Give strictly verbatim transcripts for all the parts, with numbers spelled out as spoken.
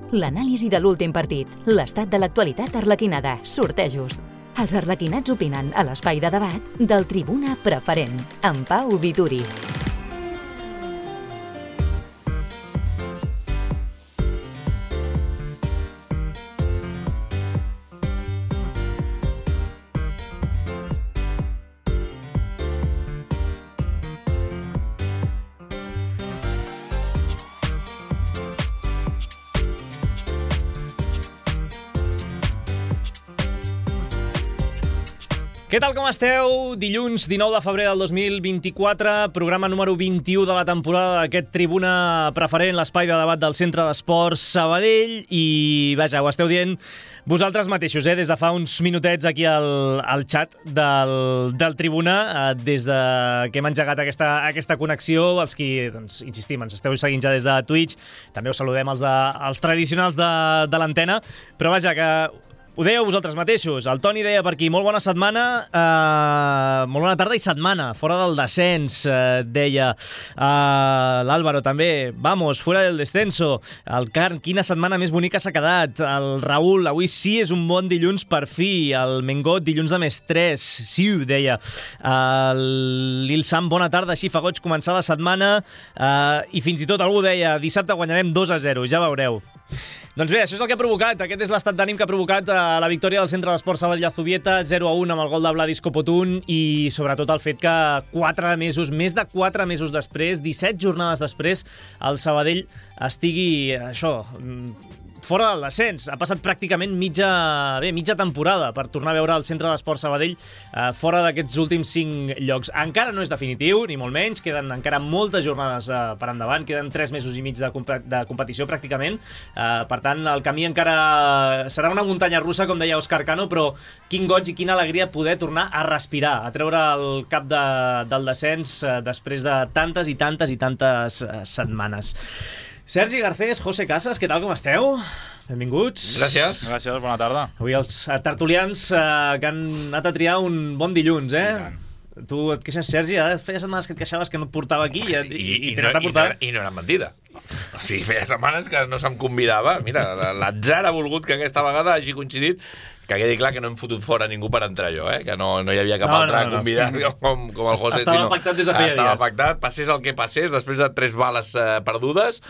L'anàlisi de l'últim partit, l'estat de l'actualitat arlequinada, sortejos. Els arlequinats opinen a l'espai de debat del Tribuna Preferent, amb Pau Vituri. Què tal, com esteu? Dilluns dinou de febrer del dos mil vint-i-quatre, programa número vint-i-u de la temporada d'aquest Tribuna Preferent, l'espai de debat del Centre d'Esports Sabadell, i vaja, ho esteu dient vosaltres mateixos, eh? Des de fa uns minutets aquí al, al xat del, del Tribuna, eh, des de que hem engegat aquesta, aquesta connexió, els qui, doncs, insistim, ens esteu seguint ja des de Twitch, també us saludem els, de, els tradicionals de, de l'antena, però vaja, que ho dèieu vosaltres mateixos. El Toni deia per aquí, molt bona setmana, eh, molt bona tarda i setmana, fora del descens, eh, deia. Eh, L'Àlvaro també, vamos, fuera del descenso. El Carn, quina setmana més bonica s'ha quedat. El Raül, avui sí és un bon dilluns per fi. El Mengot, dilluns de més tres. Sí, deia. L'Il Sam, bona tarda, així fa goig començar la setmana. Eh, I fins i tot algú deia, dissabte guanyarem dos a zero, ja veureu. Doncs bé, això és el que ha provocat, aquest és l'estat d'ànim que ha provocat eh, la victòria del Centre d'Esports Sabadell Azubieta, zero a un amb el gol de Vladis Copotún, i sobretot el fet que quatre mesos, més de quatre mesos després, disset jornades després, el Sabadell estigui, això, fora del descens. Ha passat pràcticament mitja, bé, mitja temporada per tornar a veure el Centre d'Esports Sabadell eh, fora d'aquests últims cinc llocs. Encara no és definitiu, ni molt menys, queden encara moltes jornades eh, per endavant, queden tres mesos i mig de, comp de competició pràcticament, eh, per tant el camí encara serà una muntanya russa, com deia Òscar Cano, però quin goig i quina alegria poder tornar a respirar, a treure el cap de, del descens eh, després de tantes i tantes i tantes eh, setmanes. Sergi Garcés, José Casas, què tal, com esteu? Benvinguts. Gràcies. Gràcies, bona tarda. Avui els tertulians eh, que han anat a triar un bon dilluns, eh? Tu et queixes, Sergi, ara feia setmanes que et queixaves que no et portava aquí i, i, i, i, no, i, no, i no era mentida. O sigui, feia setmanes que no se'm convidava. Mira, l'atzar ha volgut que aquesta vegada hagi coincidit. Que quedi clar que no hem fotut fora ningú per entrar jo, eh? Que no, no hi havia cap no, altre no, no. convidat com, com el José. Estava sinó, pactat des de feia estava dies. pactat, passés el que passés, després de tres bales eh, perdudes,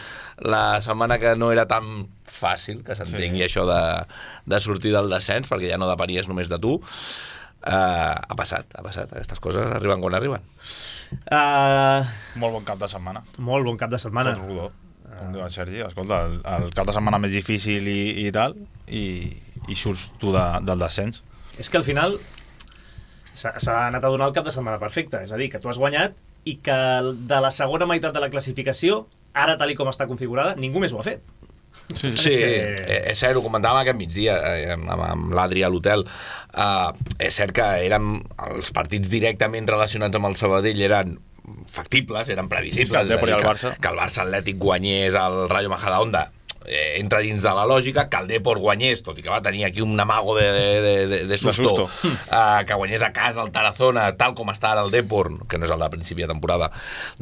la setmana que no era tan fàcil que s'entengui sí. això de, de sortir del descens, perquè ja no depenies només de tu, eh, ha passat, ha passat. Aquestes coses arriben quan arriben. Uh, molt bon cap de setmana. Molt bon cap de setmana. Tot rodó, com diu el Sergi. Escolta, el, el cap de setmana més difícil i, i tal, i... i surts tu de, del descens. És que al final s'ha anat a donar el cap de setmana perfecte, és a dir, que tu has guanyat i que de la segona meitat de la classificació, ara tal i com està configurada, ningú més ho ha fet. Sí, sí, és, que... és cert, ho comentàvem aquest migdia amb, amb l'Adri a l'hotel. Uh, és cert que eren els partits directament relacionats amb el Sabadell eren factibles, eren previsibles. Sí, el que, Barça. que el Barça Atlètic guanyés el Rayo Majadahonda eh, entra dins de la lògica, que el Depor guanyés, tot i que va tenir aquí un amago de, de, de, de susto, de susto. Uh, que guanyés a casa el Tarazona, tal com està ara el Depor, que no és el de principi de temporada,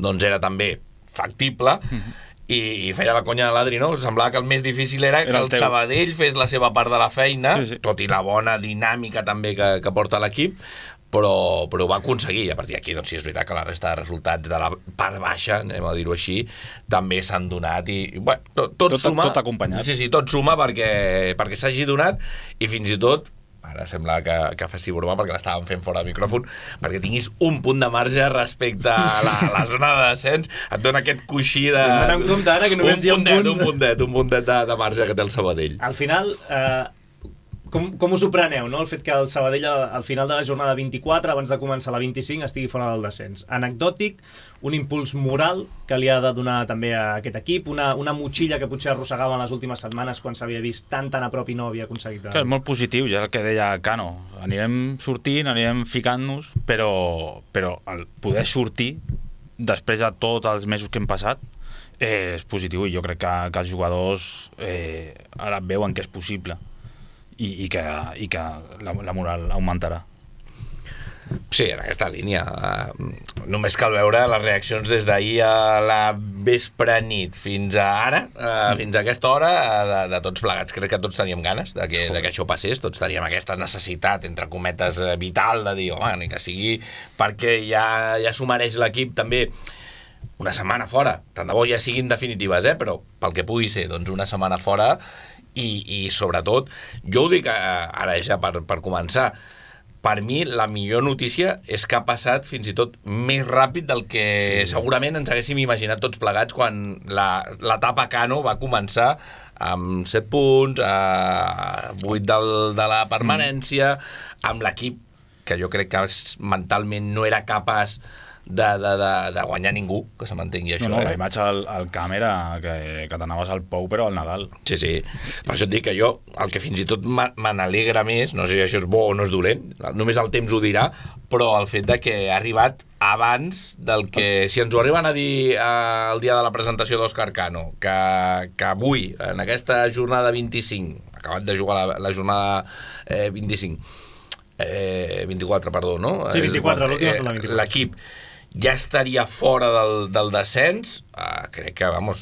doncs era també factible. Mm-hmm. I, i feia la conya de l'Adri, no? Semblava que el més difícil era, era que el, el Sabadell fes la seva part de la feina, sí, sí. tot i la bona dinàmica també que, que porta l'equip, però, però ho va aconseguir. A partir d'aquí, doncs sí, és veritat que la resta de resultats de la part baixa, anem a dir-ho així, també s'han donat i, bueno, tot, tot, tot suma. Tot acompanyat. Sí, sí, tot suma perquè, perquè s'hagi donat i fins i tot, ara sembla que, que faci broma perquè l'estàvem fent fora de micròfon, perquè tinguis un punt de marge respecte a la, la zona de descens, et dona aquest coixí de... Anem compte ara que només un hi ha un puntet, punt. Un puntet, un puntet de, de marge que té el Sabadell. Al final... Eh... Com, com us ho preneu, no? El fet que el Sabadell al final de la jornada vint-i-quatre, abans de començar la vint-i-cinc, estigui fora del descens. Anecdòtic, un impuls moral que li ha de donar també a aquest equip, una, una motxilla que potser arrossegava en les últimes setmanes quan s'havia vist tan tan a prop i no havia aconseguit. De... Que és molt positiu, ja el que deia Cano. Anirem sortint, anirem ficant-nos, però, però el poder sortir després de tots els mesos que hem passat eh, és positiu, i jo crec que, que els jugadors eh, ara veuen que és possible. I, i, que, i que la, la moral augmentarà. Sí, en aquesta línia. Uh, només cal veure les reaccions des d'ahir a la vespre nit fins a ara, uh, mm. fins a aquesta hora, uh, de, de tots plegats. Crec que tots teníem ganes de que, de que això passés, tots teníem aquesta necessitat, entre cometes, uh, vital, de dir, home, ni que sigui perquè ja, ja s'ho mereix l'equip també una setmana fora. Tant de bo ja siguin definitives, eh? Però pel que pugui ser, doncs una setmana fora i, i sobretot, jo ho dic uh, ara ja per, per començar, per mi la millor notícia és que ha passat fins i tot més ràpid del que sí. segurament ens haguéssim imaginat tots plegats quan l'etapa Cano va començar amb set punts, a vuit del, de la permanència, amb l'equip que jo crec que mentalment no era capaç de, de, de, de guanyar ningú, que se mantengui això. No, no, eh? la imatge al, al camp era que, que t'anaves al Pou, però al Nadal. Sí, sí. Per això et dic que jo, el que fins i tot me n'alegra més, no sé si això és bo o no és dolent, només el temps ho dirà, però el fet de que ha arribat abans del que... Si ens ho arriben a dir eh, el dia de la presentació d'Òscar Cano, que, que avui, en aquesta jornada vint-i-cinc, acabat de jugar la, la jornada eh, vint-i-cinc, eh, vint-i-quatre, perdó, no? Sí, vint-i-quatre, l'última és la vint-i-quatre. L'equip ja estaria fora del, del descens, uh, crec que, vamos,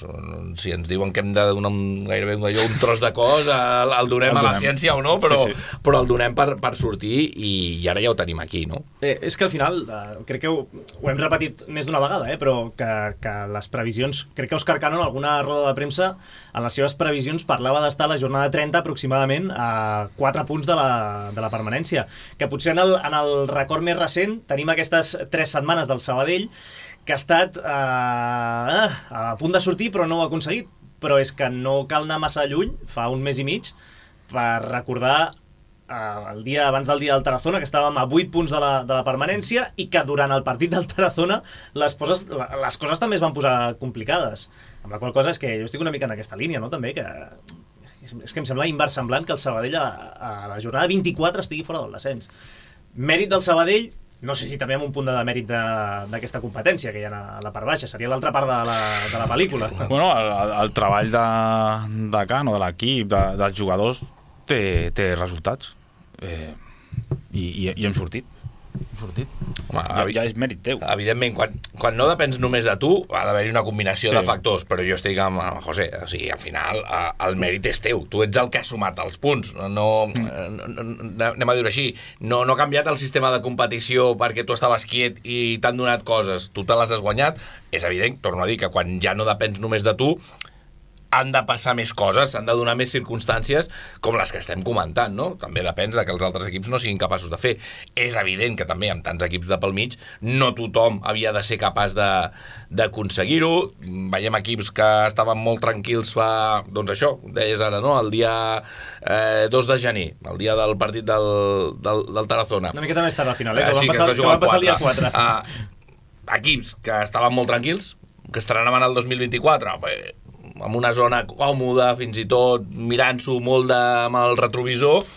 si ens diuen que hem de donar un, gairebé un, un tros de cos, el, el donem el a la donem. Ciència o no, però, sí, sí. però el donem per, per sortir i, i ara ja ho tenim aquí, no? Eh, és que al final, eh, crec que ho, ho hem repetit més d'una vegada, eh, però que, que les previsions, crec que Òscar Cano en alguna roda de premsa, en les seves previsions parlava d'estar a la jornada trenta aproximadament a quatre punts de la, de la permanència, que potser en el, en el record més recent tenim aquestes tres setmanes del Sabadell que ha estat eh, a punt de sortir però no ho ha aconseguit, però és que no cal anar massa lluny, fa un mes i mig, per recordar eh, el dia abans del dia del Tarazona, que estàvem a vuit punts de la, de la permanència i que durant el partit del Tarazona les, poses, les coses també es van posar complicades, amb la qual cosa és que jo estic una mica en aquesta línia, no? També que és que em sembla inversemblant que el Sabadell a, a la jornada vint-i-quatre estigui fora del descens. Mèrit del Sabadell, no sé si també amb un punt de demèrit d'aquesta competència que hi ha a la part baixa, seria l'altra part de la, de la pel·lícula. Bueno, el, el treball de, de Cano, de l'equip, de, dels jugadors, té, té resultats. Eh, i, i, I hem sortit. Hem sortit. Home, ja, ja és mèrit teu. Evidentment, quan, quan no depens només de tu, ha d'haver-hi una combinació sí. de factors, però jo estic amb el José, o sigui, al final el mèrit és teu, tu ets el que ha sumat els punts, no, mm. no, no anem a dir-ho així, no, no ha canviat el sistema de competició perquè tu estaves quiet i t'han donat coses, tu te les has guanyat, és evident, torno a dir, que quan ja no depens només de tu, han de passar més coses, han de donar més circumstàncies com les que estem comentant, no? També depèn de que els altres equips no siguin capaços de fer. És evident que també amb tants equips de pel mig no tothom havia de ser capaç de d'aconseguir-ho. Veiem equips que estaven molt tranquils fa, doncs això, deies ara, no? El dia eh, dos de gener, el dia del partit del, del, del Tarazona. Una miqueta més tard al final, eh? eh Que sí, van passar, que que van passar el dia quatre. Uh, equips que estaven molt tranquils, que estrenaven el dos mil vint-i-quatre, eh, amb una zona còmoda, fins i tot mirant-s'ho molt de, amb el retrovisor,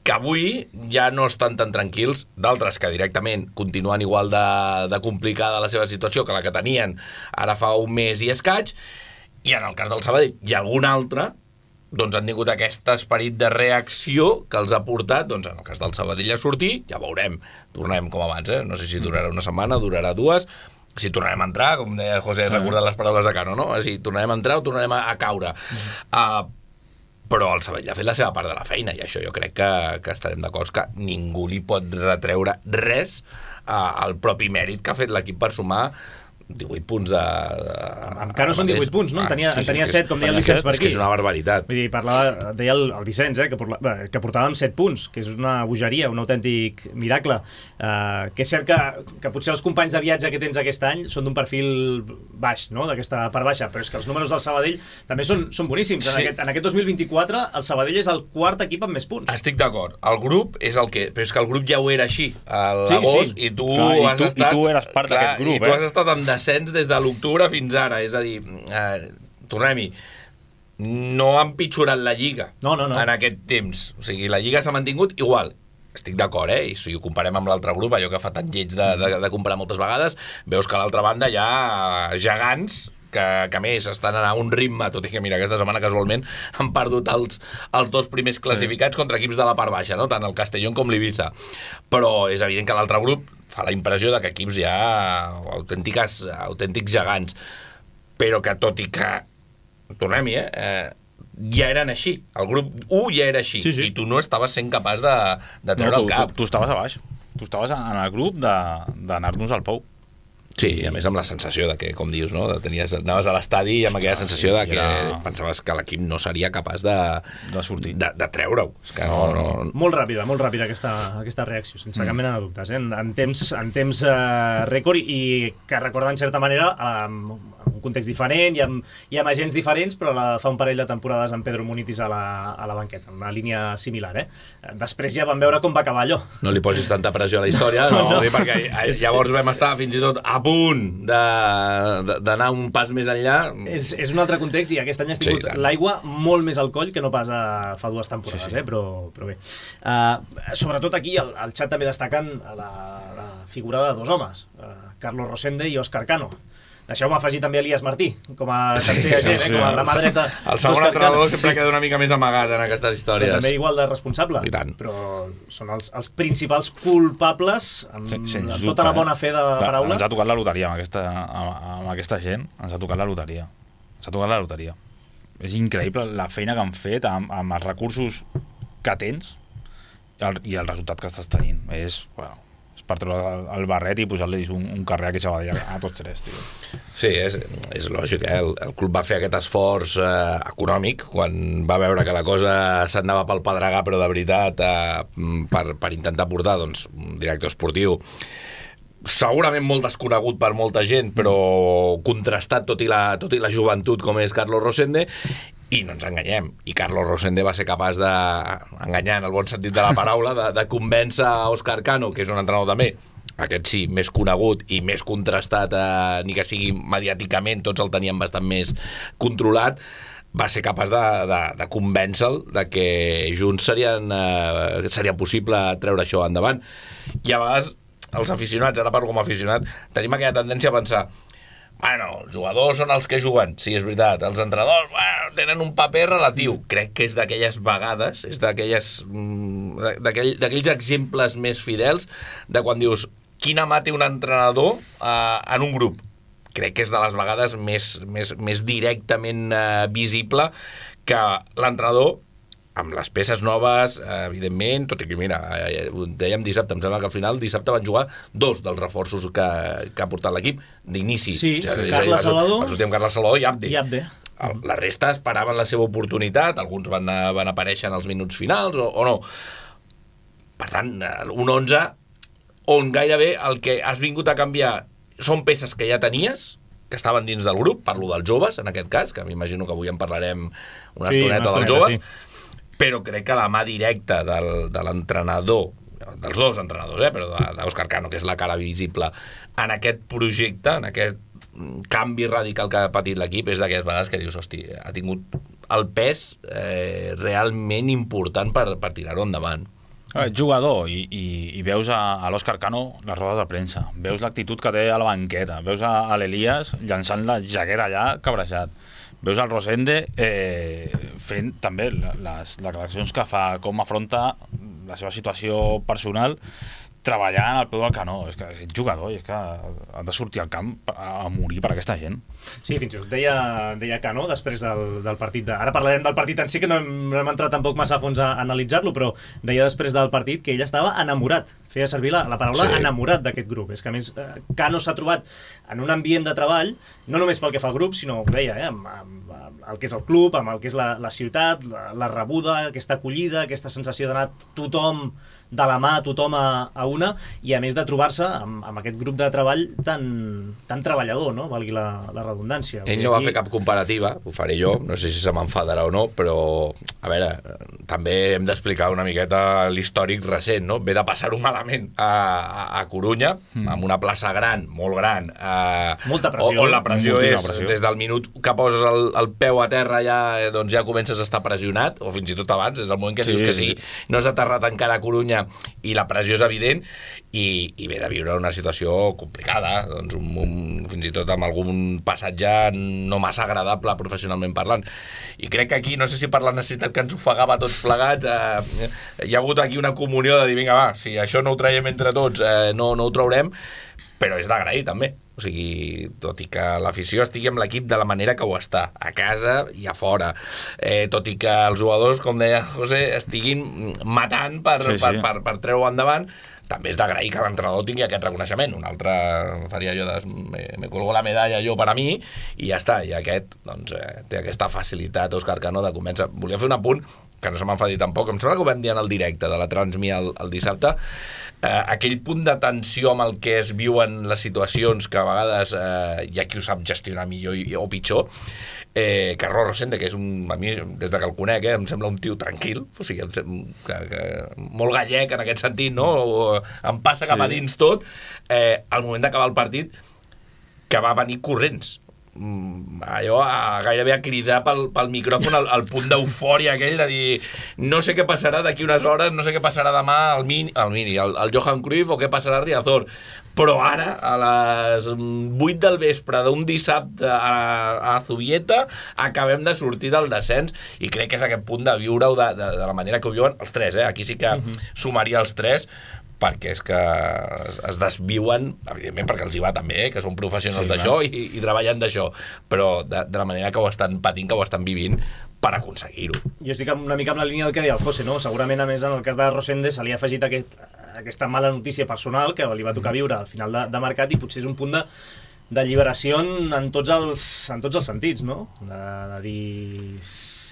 que avui ja no estan tan tranquils, d'altres que directament continuen igual de, de complicada la seva situació que la que tenien ara fa un mes i escaig, i en el cas del Sabadell i algun altre, doncs han tingut aquest esperit de reacció que els ha portat, doncs en el cas del Sabadell a sortir, ja veurem, tornem com abans, eh? No sé si durarà una setmana, durarà dues, si tornarem a entrar, com deia José, recordant les paraules de Cano, no? Si tornarem a entrar o tornarem a, a caure. Uh, però el Sabadell ha fet la seva part de la feina i això jo crec que, que estarem d'acord que ningú li pot retreure res uh, al propi mèrit que ha fet l'equip per sumar divuit punts de... de amb Cano són divuit punts, no? En tenia, ah, sí, sí, en tenia set, com deia el Vicenç per aquí. És que és una barbaritat. Vull dir, parlava, deia el, el Vicenç, eh, que, porla, que portàvem set punts, que és una bogeria, un autèntic miracle. Uh, que és cert que, que potser els companys de viatge que tens aquest any són d'un perfil baix, no? D'aquesta part baixa, però és que els números del Sabadell també són, són boníssims. En, sí. aquest, en aquest dos mil vint-i-quatre el Sabadell és el quart equip amb més punts. Estic d'acord. El grup és el que... Però és que el grup ja ho era així, a l'agost, sí, sí. i tu clar, has i tu, estat... I tu eres part d'aquest grup, eh? I tu has estat en descens des de l'octubre fins ara, és a dir, eh, tornem-hi, no ha empitjorat la Lliga no, no, no. en aquest temps. O sigui, la Lliga s'ha mantingut igual. Estic d'acord, eh? I si ho comparem amb l'altre grup, allò que fa tan lleig de, de, de comparar moltes vegades, veus que a l'altra banda hi ha gegants que, que a més estan a un ritme, tot i que mira, aquesta setmana casualment han perdut els, els dos primers classificats sí. contra equips de la part baixa, no? Tant el Castellón com l'Ibiza. Però és evident que l'altre grup fa la impressió de que equips ja autèntiques, autèntics gegants, però que tot i que tornem-hi, eh? eh ja eren així, el grup u ja era així, sí, sí. i tu no estaves sent capaç de, de treure no, tu, el cap. Tu, tu estaves a baix, tu estaves en el grup d'anar-nos al Pou. Sí, i a més amb la sensació de que, com dius, no? De tenies, anaves a l'estadi i amb aquella sensació de que era... pensaves que l'equip no seria capaç de, de sortir, de, de treure-ho. És que no, no, no... Molt ràpida, molt ràpida aquesta, aquesta reacció, sense mm. cap mena de dubtes, eh? en, en temps, en temps eh, rècord, i que recorda en certa manera eh, un context diferent i amb, i amb agents diferents, però la, fa un parell de temporades amb Pedro Munitis a la, a la banqueta, una línia similar. Eh? Després ja vam veure com va acabar allò. No li posis tanta pressió a la història, no, no. perquè llavors vam estar fins i tot a punt d'anar un pas més enllà. És, és un altre context, i aquest any has tingut sí, l'aigua molt més al coll que no pas a, fa dues temporades, sí, sí. Eh? Però, però bé. Uh, sobretot aquí, al, al xat també destaquen la, la figura de dos homes, uh, Carlos Rosende i Òscar Cano. Deixeu-me afegir també Elias Martí, com a tercer agent, sí, eh? com a la mà dreta. El segon entrenador sempre queda una mica més amagat en aquestes històries. Però també igual de responsable. Però són els, els principals culpables, amb, sí, amb tota la bona fe de la paraula. Ens ha tocat la loteria amb aquesta, amb, amb aquesta gent, ens ha tocat la loteria. Ens ha tocat la loteria. És increïble la feina que han fet amb, amb els recursos que tens i el, i el resultat que estàs tenint. És, bueno, per treure el barret i posar-los un, un carrer aquí a Sabadell a tots tres, tio. Sí, és, és lògic, eh? El, el club va fer aquest esforç eh, econòmic quan va veure que la cosa s'anava pel pedregar, però de veritat, eh, per, per intentar portar doncs, un director esportiu segurament molt desconegut per molta gent, però contrastat tot i la, tot i la joventut com és Carlos Rosende. I no ens enganyem, i Carlos Rosende va ser capaç de, enganyar en el bon sentit de la paraula, de, de convèncer a Òscar Cano, que és un entrenador també, aquest sí, més conegut i més contrastat, eh, ni que sigui mediàticament, tots el tenien bastant més controlat, va ser capaç de, de, de convèncer-lo de que junts serien, eh, seria possible treure això endavant. I a vegades els aficionats, ara parlo com a aficionat, tenim aquella tendència a pensar: bueno, els jugadors són els que juguen, sí, és veritat. Els entrenadors, bueno, tenen un paper relatiu. Crec que és d'aquelles vegades, és d'aquelles d'aquell, d'aquells exemples més fidels de quan dius quina mà té un entrenador eh, en un grup. Crec que és de les vegades més, més, més directament eh, visible que l'entrenador, amb les peces noves, evidentment, tot i que, mira, dèiem dissabte, em sembla que al final dissabte van jugar dos dels reforços que, que ha portat l'equip d'inici. Sí, ja, Carles Salvador. Va sortir amb Carles Salvador i Abde. I Abde. La resta esperaven la seva oportunitat, alguns van, van aparèixer en els minuts finals o, o no. Per tant, un onze on gairebé el que has vingut a canviar són peces que ja tenies, que estaven dins del grup, parlo dels joves, en aquest cas, que m'imagino que avui en parlarem una sí, estoneta dels joves, sí. Però crec que la mà directa del, de l'entrenador, dels dos entrenadors, eh, però d'Òscar Cano, que és la cara visible, en aquest projecte, en aquest canvi radical que ha patit l'equip, és d'aquelles vegades que dius, hosti, ha tingut el pes eh, realment important per, per tirar-ho endavant. Eh, jugador, i, i, i veus a, a l'Òscar Cano les rodes de premsa, veus l'actitud que té a la banqueta, veus a, a l'Elias llançant la jaqueta allà cabrejat, veus el Rosende eh, fent també les declaracions que fa, com afronta la seva situació personal, treballant al peu del canó. És que és jugador i és que ha de sortir al camp a morir per aquesta gent. Sí, fins i tot deia, deia Cano després del, del partit de... Ara parlarem del partit en si, que no hem, no hem entrat tampoc massa a fons a, a analitzar-lo, però deia després del partit que ell estava enamorat, feia servir la, la paraula sí. enamorat d'aquest grup. És que a més Cano s'ha trobat en un ambient de treball, no només pel que fa al grup, sinó, ho deia, eh, amb, amb, amb el que és el club, amb el que és la, la ciutat, la, la rebuda, aquesta acollida, aquesta sensació d'anar tothom de la mà, tothom a, a una, i a més de trobar-se amb, amb aquest grup de treball tan, tan treballador, no? Valgui la, la redundància. Ell no va fer cap comparativa, ho faré jo, no sé si se m'enfadarà o no, però, a veure, també hem d'explicar una miqueta l'històric recent, no? Ve de passar-ho malament a, a, a Corunya, mm. amb una plaça gran, molt gran, a, molta pressió, on la pressió és, pressió. Des del minut que poses el, el peu a terra ja, doncs ja comences a estar pressionat, o fins i tot abans, des del moment que sí, dius que sí, no has aterrat encara a Corunya i la pressió és evident, i, i ve de viure una situació complicada, doncs un, un, fins i tot amb algun passatge no massa agradable professionalment parlant. I crec que aquí, no sé si per la necessitat que ens ofegava tots plegats, eh, hi ha hagut aquí una comunió de dir, vinga, va, si això no ho traiem entre tots, eh, no, no ho traurem, però és d'agrair també. O sigui, tot i que l'afició estigui amb l'equip de la manera que ho està, a casa i a fora, eh, tot i que els jugadors, com deia José, estiguin matant per, sí, sí. per, per, per treure-ho endavant, també és d'agrair que l'entrenador tingui aquest reconeixement. Un altre faria jo de... Me, me colgo la medalla jo per a mi i ja està. I aquest, doncs, eh, té aquesta facilitat, Òscar Cano, de començar... Volia fer un apunt, que no se m'enfadi tampoc, em sembla que ho vam dir en el directe de la Transmi el, el dissabte, eh, aquell punt de tensió amb el que es viuen les situacions que a vegades eh, hi ha qui ho sap gestionar millor i, o pitjor, eh, Carlos Rosende, que és un, a mi, des de que el conec, eh, em sembla un tio tranquil, o sigui, em sembla, que, que, molt gallec en aquest sentit, no? O, em passa cap a dins tot, eh, al moment d'acabar el partit, que va venir corrents, allò a, gairebé a cridar pel, pel micròfon el, el punt d'eufòria aquell de dir no sé què passarà d'aquí unes hores, no sé què passarà demà al Mini, al Mini, al, al Johan Cruyff o què passarà a Riazor, però ara a les vuit del vespre d'un dissabte a, a Zubieta acabem de sortir del descens i crec que és aquest punt de viure-ho de, de, de la manera que ho viuen els tres, eh? Aquí sí que uh-huh. sumaria els tres, perquè és que es, es desviuen, evidentment perquè els hi va també, eh, que són professionals sí, d'això i, i treballen d'això, però de, de la manera que ho estan patint, que ho estan vivint per aconseguir-ho. Jo estic una mica amb la línia del que deia el José, no? Segurament, a més, en el cas de Rosende se li ha afegit aquest, aquesta mala notícia personal que li va tocar viure al final de, de mercat i potser és un punt de d'alliberació en, en, tots els, en tots els sentits, no? De, de dir...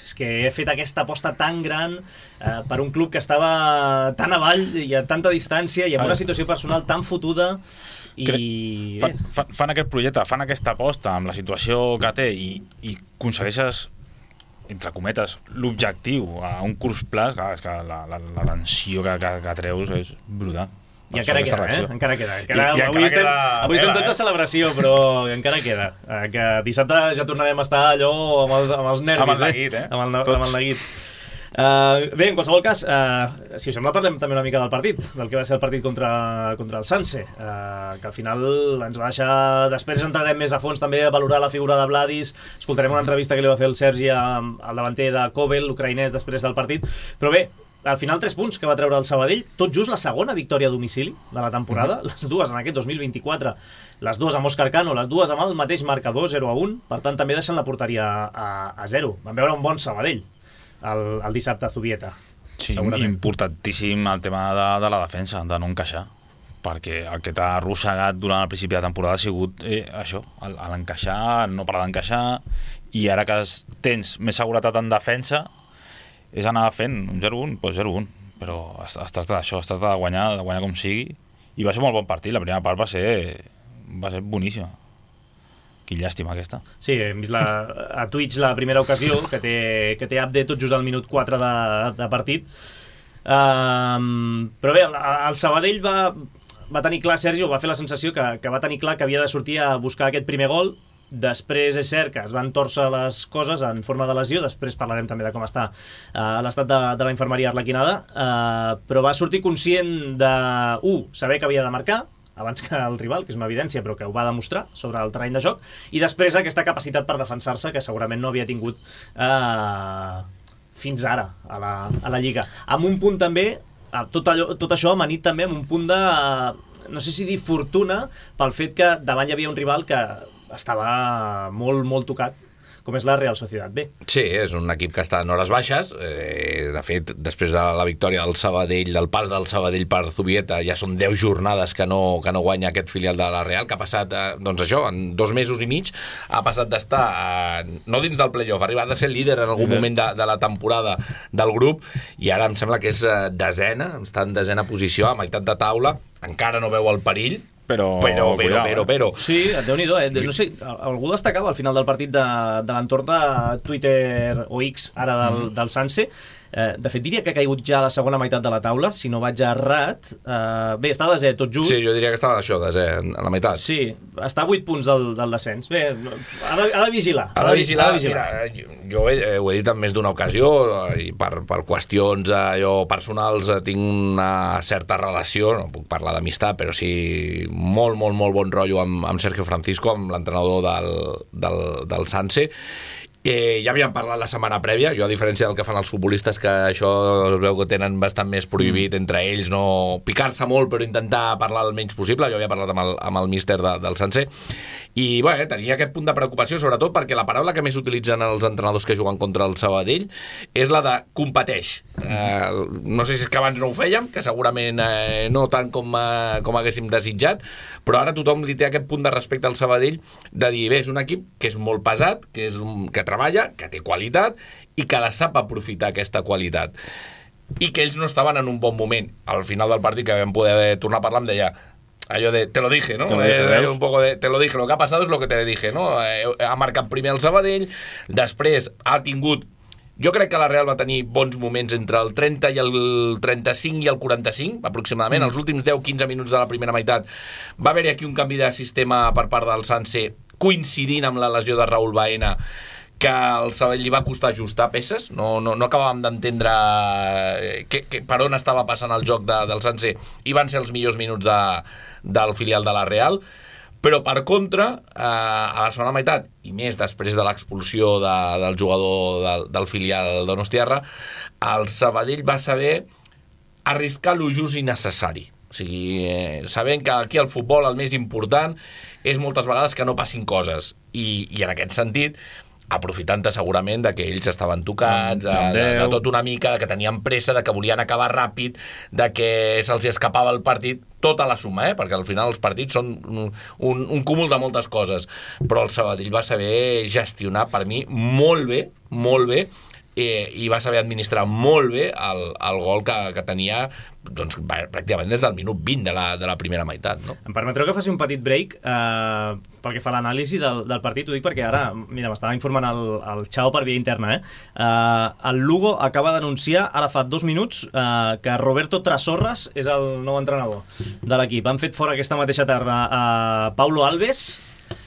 és que he fet aquesta aposta tan gran eh, per un club que estava tan avall i a tanta distància i amb una situació personal tan fotuda i... Fan, fan, fan aquest projecte, fan aquesta aposta amb la situació que té i, i aconsegueixes, entre cometes, l'objectiu a un curs plus, clar, és que la, la, la tensió que, que, que treus és brutal. I encara queda, eh? Encara queda. Encara, I, i avui encara estem, queda avui estem tots a celebració, però encara queda. Eh, que dissabte ja tornarem a estar allò amb els, amb els nervis, amb el neguit, eh? eh? Amb el, amb el neguit. Uh, bé, en qualsevol cas, uh, si us sembla, parlem també una mica del partit, del que va ser el partit contra, contra el Sanse, uh, que al final ens va deixar... Després entrarem més a fons també a valorar la figura de Vladis, escoltarem una entrevista que li va fer el Sergi al davanter de Kovel, l'ucraïnès, després del partit, però bé, al final tres punts que va treure el Sabadell, tot just la segona victòria a domicili de la temporada, uh-huh. les dues en aquest dos mil vint-i-quatre, les dues amb Òscar Cano, les dues amb el mateix marcador, zero a un, per tant també deixen la porteria a, a zero. Vam veure un bon Sabadell el, el dissabte a Zubieta. Sí, importantíssim el tema de, de la defensa, de no encaixar, perquè el que t'ha arrossegat durant el principi de la temporada ha sigut eh, això, l'encaixar, no parar d'encaixar, i ara que tens més seguretat en defensa, és anar fent un zero a un, doncs zero a un, però es, es tracta d'això, es tracta de guanyar, de guanyar com sigui, i va ser molt bon partit, la primera part va ser, va ser boníssima. Quin llàstima aquesta. Sí, hem vist la, a Twitch la primera ocasió, que té, que té update tot just al minut quatre de, de partit, um, però bé, el, el Sabadell va, va tenir clar, Sergi, va fer la sensació que, que va tenir clar que havia de sortir a buscar aquest primer gol. Després és cert que es van tòrcer les coses en forma de lesió, després parlarem també de com està uh, l'estat de, de la infermeria arlequinada, uh, però va sortir conscient de, u, saber que havia de marcar abans que el rival, que és una evidència, però que ho va demostrar sobre el terreny de joc, i després aquesta capacitat per defensar-se que segurament no havia tingut uh, fins ara a la, a la Lliga. Amb un punt també, tot, allò, tot això amanit també amb un punt de, uh, no sé si dir fortuna, pel fet que davant hi havia un rival que estava molt, molt tocat, com és la Real Societat B. Sí, és un equip que està en hores baixes. Eh, de fet, després de la victòria del Sabadell, del pas del Sabadell per Zubieta, ja són deu jornades que no, que no guanya aquest filial de la Real, que ha passat, eh, doncs això, en dos mesos i mig, ha passat d'estar, eh, no dins del playoff, ha arribat a ser líder en algun moment de, de la temporada del grup, i ara em sembla que és eh, desena, està en desena posició, a meitat de taula, encara no veu el perill, Però, però, però, però, però. Sí, Déu-n'hi-do, eh? No sé, algú destacava al final del partit de, de l'entorn de Twitter o X, ara del, del Sanse, Eh, de fet, diria que ha caigut ja a la segona meitat de la taula, si no vaig errat. Eh, bé, està a desè, tot just. Sí, jo diria que estava això, desè, a la meitat. Sí, està a vuit punts del, del descens. Bé, ha de, ha de vigilar. Ha de vigilar. Ha de vigilar. Mira, jo ho he, ho he dit en més d'una ocasió, i per, per qüestions allò, personals tinc una certa relació, no puc parlar d'amistat, però sí molt, molt, molt bon rotllo amb, amb Sergio Francisco, amb l'entrenador del, del, del Sanse. Eh, ja havíem parlat la setmana prèvia, jo a diferència del que fan els futbolistes, que això es veu que tenen bastant més prohibit mm. entre ells, no picar-se molt però intentar parlar el menys possible, jo havia parlat amb el, amb el míster de, del Sanse, i bé, tenia aquest punt de preocupació, sobretot perquè la paraula que més utilitzen els entrenadors que juguen contra el Sabadell és la de competeix. Eh, no sé si és que abans no ho fèiem, que segurament eh, no tant com, eh, com haguéssim desitjat, però ara tothom li té aquest punt de respecte al Sabadell de dir, bé, és un equip que és molt pesat, que, és un, que treballa, que té qualitat i que la sap aprofitar aquesta qualitat. I que ells no estaven en un bon moment. Al final del partit que vam poder tornar a parlar em deia allò de, te lo dije, ¿no? Te lo dije, eh, un poco de, te lo dije, lo que ha pasado es lo que te dije, ¿no? Eh, ha marcat primer el Sabadell, després ha tingut, jo crec que la Real va tenir bons moments entre el trenta i el trenta-cinc i el quaranta-cinc, aproximadament, mm. els últims deu quinze minuts de la primera meitat va haver-hi aquí un canvi de sistema per part del Sanse, coincidint amb la lesió de Raúl Baena, que al Sabadell li va costar ajustar peces, no, no, no acabàvem d'entendre que, que, per on estava passant el joc de, del Sanse, i van ser els millors minuts de, del filial de la Real, però per contra, eh, a la segona meitat, i més després de l'expulsió de, del jugador del, del filial donostiarra, el Sabadell va saber arriscar lo just i necessari. O sigui, eh, sabent que aquí al futbol el més important és moltes vegades que no passin coses, i, i en aquest sentit aprofitant-te segurament de que ells estaven tocats, de, de, de tot una mica, de que tenien pressa, de que volien acabar ràpid, de que se'ls escapava el partit, tota la suma, eh? Perquè al final els partits són un, un, un cúmul de moltes coses, però el Sabadell va saber gestionar, per mi, molt bé, molt bé, eh, i va saber administrar molt bé el, el gol que, que tenia, doncs, pràcticament des del minut vint de la, de la primera meitat, no? Em permetreu que faci un petit break eh, pel que fa a l'anàlisi del, del partit, ho dic perquè ara, mira, m'estava informant el, el Xao per via interna, eh? eh el Lugo acaba d'anunciar, ara fa dos minuts, eh, que Roberto Trasorras és el nou entrenador de l'equip. Han fet fora aquesta mateixa tarda a Paulo Alves,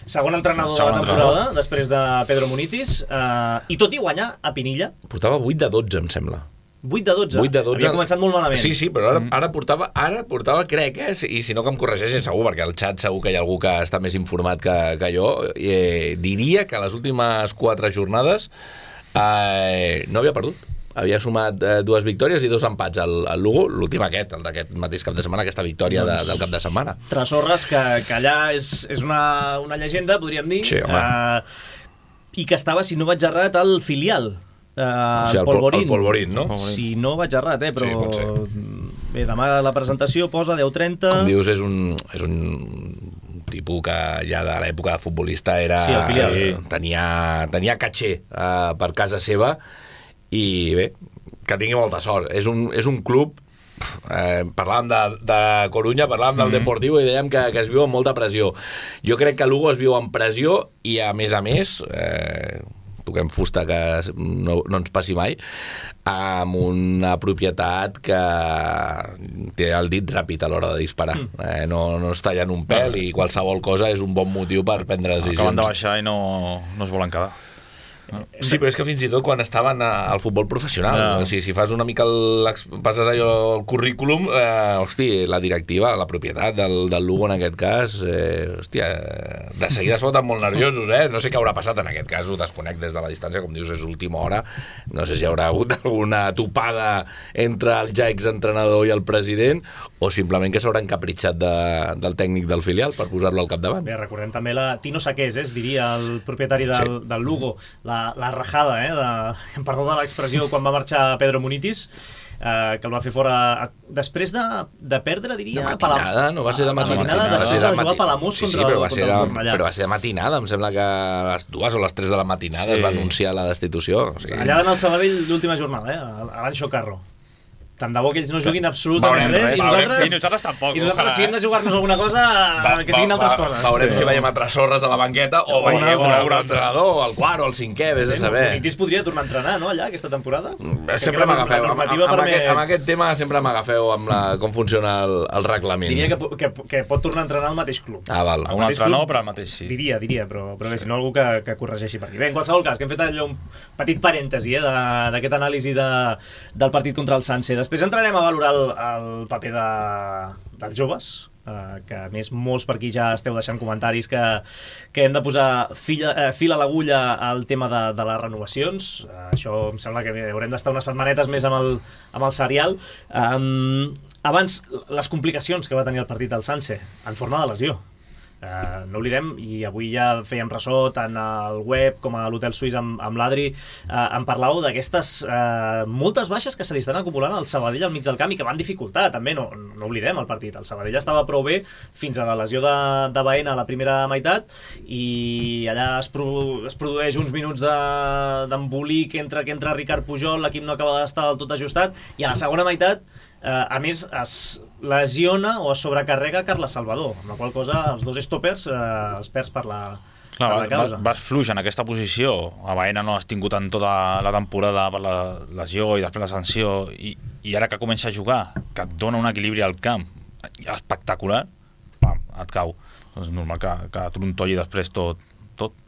segon entrenador segon de la temporada, entrenador. Després de Pedro Munitis, eh, i tot i guanyar a Pinilla. Portava vuit de dotze, em sembla. vuit de dotze? vuit de dotze. Havia començat molt malament. Sí, sí, però ara, ara, portava, ara portava, crec, eh, i si no que em corregeixin segur, perquè al xat segur que hi ha algú que està més informat que, que jo, eh, diria que les últimes quatre jornades eh, no havia perdut. Havia sumat eh, dues victòries i dos empats al, al Lugo, l'últim aquest, el d'aquest mateix cap de setmana, aquesta victòria doncs, de, del cap de setmana. Trasorras, que, que allà és, és una, una llegenda, podríem dir, sí, eh, i que estava, si no vaig errat, al filial. Uh, o sigui, el Polvorín. El Polvorín, no? Si no vaig errat, eh, però sí, bé, demà la presentació posa deu trenta. Com dius, és un, és un tipus que ja de l'època de futbolista era, sí, el filial. Eh, tenia, tenia caché uh, per casa seva, i bé, que tingui molta sort. És un, és un club, eh, parlàvem de, de Corunya, parlàvem mm-hmm. del Deportivo i dèiem que, que es viu amb molta pressió. Jo crec que Lugo es viu amb pressió i, a més a més, eh, toquem fusta que no, no ens passi mai, amb una propietat que té el dit ràpid a l'hora de disparar. Mm. Eh, no, no es tallen un pèl i qualsevol cosa és un bon motiu per prendre decisions. Acaben de baixar i no, no es volen quedar. Sí, però és que fins i tot quan estaven al futbol professional, yeah. o sigui, si fas una mica el, passes allò el currículum, eh, hosti, la directiva, la propietat del, del Lugo en aquest cas, eh, hòstia, de seguida es foten molt nerviosos, eh? No sé què haurà passat en aquest cas, ho desconec des de la distància, com dius, és última hora, no sé si hi haurà hagut alguna topada entre el ja exentrenador i el president, o simplement que s'haurà encapritxat de, del tècnic del filial per posar-lo al capdavant. Bé, recordem també la Tino Saqués, eh, es diria el propietari del, sí. del Lugo, la, la rajada, eh, de, perdó de l'expressió, quan va marxar Pedro Munitis, eh, que el va fer fora a, després de, de perdre, diria... De matinada, no va ser de matinada. matinada després de jugar a Palamós sí, contra, sí, però va, contra de, el Cornellà. Però va ser de matinada, em sembla que a les dues o les tres de la matinada sí. es va anunciar la destitució. O sigui... Allà en el Sabadell l'última jornada, eh, a l'Anxo Carro. tant de bo que ells no juguin absolutament res, i nosaltres, i nosaltres tampoc. i nosaltres si hem de jugar-nos alguna cosa, va, que siguin altres va, coses. Veurem sí. si veiem altres sorres a la banqueta o veiem un entrenador, el quart o el cinquè, vés a saber. Benitez podria tornar a entrenar, no, allà, aquesta temporada? Sempre m'agafeu, amb, amb, amb, aquest, amb aquest tema sempre m'agafeu amb la, com funciona el, el reglament. Diria que, que, que pot tornar a entrenar al mateix club. Ah, val. Un altre no, però al mateix sí. Diria, diria, però, però bé, si no algú que, que corregeixi per aquí. Bé, en qualsevol cas, que hem fet allò un petit parèntesi eh, d'aquest anàlisi de, del partit contra el Sanse. Després entrarem a valorar el, el paper de, dels joves, eh, que a més molts per aquí ja esteu deixant comentaris que, que hem de posar fil, eh, fil a l'agulla al tema de, de les renovacions. Eh, això em sembla que haurem d'estar unes setmanetes més amb el, amb el serial. Um, abans, les complicacions que va tenir el partit del Sanse en forma de lesió. Uh, no oblidem, i avui ja fèiem ressò tant al web com a l'Hotel Suís amb, amb l'Adri, uh, em parlàveu d'aquestes uh, moltes baixes que se li estan acumulant al Sabadell al mig del camp i que van dificultar també, no, no oblidem el partit, el Sabadell estava prou bé fins a la lesió de, de Baena a la primera meitat i allà es, pro, es produeix uns minuts d'embolic de, entre que entra Ricard Pujol, l'equip no acaba d'estar del tot ajustat i a la segona meitat Uh, a més es lesiona o es sobrecarrega Carles Salvador, amb la qual cosa els dos stoppers uh, els perds per la, Clar, per la causa. Vas, vas fluix en aquesta posició, a Baena no has tingut en tota la temporada per la lesió i després la sanció i, i ara que comença a jugar, que et dona un equilibri al camp espectacular, pam, et cau. És normal que, que trontolli després tot, tot.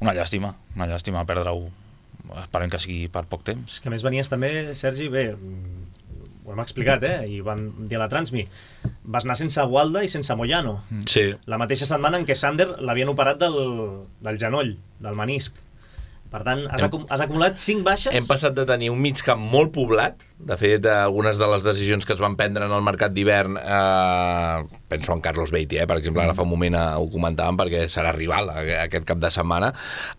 Una llàstima, una llàstima perdre-ho, esperem que sigui per poc temps. És que a més venies també, Sergi, bé, ho hem explicat, eh? I van dir a la Transmi, vas anar sense Gualda i sense Moyano. Sí. La mateixa setmana en què Sander l'havien operat del, del genoll, del menisc. Per tant, has, acum has acumulat cinc baixes. Hem passat de tenir un mig camp molt poblat. De fet, algunes de les decisions que es van prendre en el mercat d'hivern, eh, penso en Carlos Beatty, eh, per exemple, ara fa un moment eh, ho comentàvem perquè serà rival aquest cap de setmana.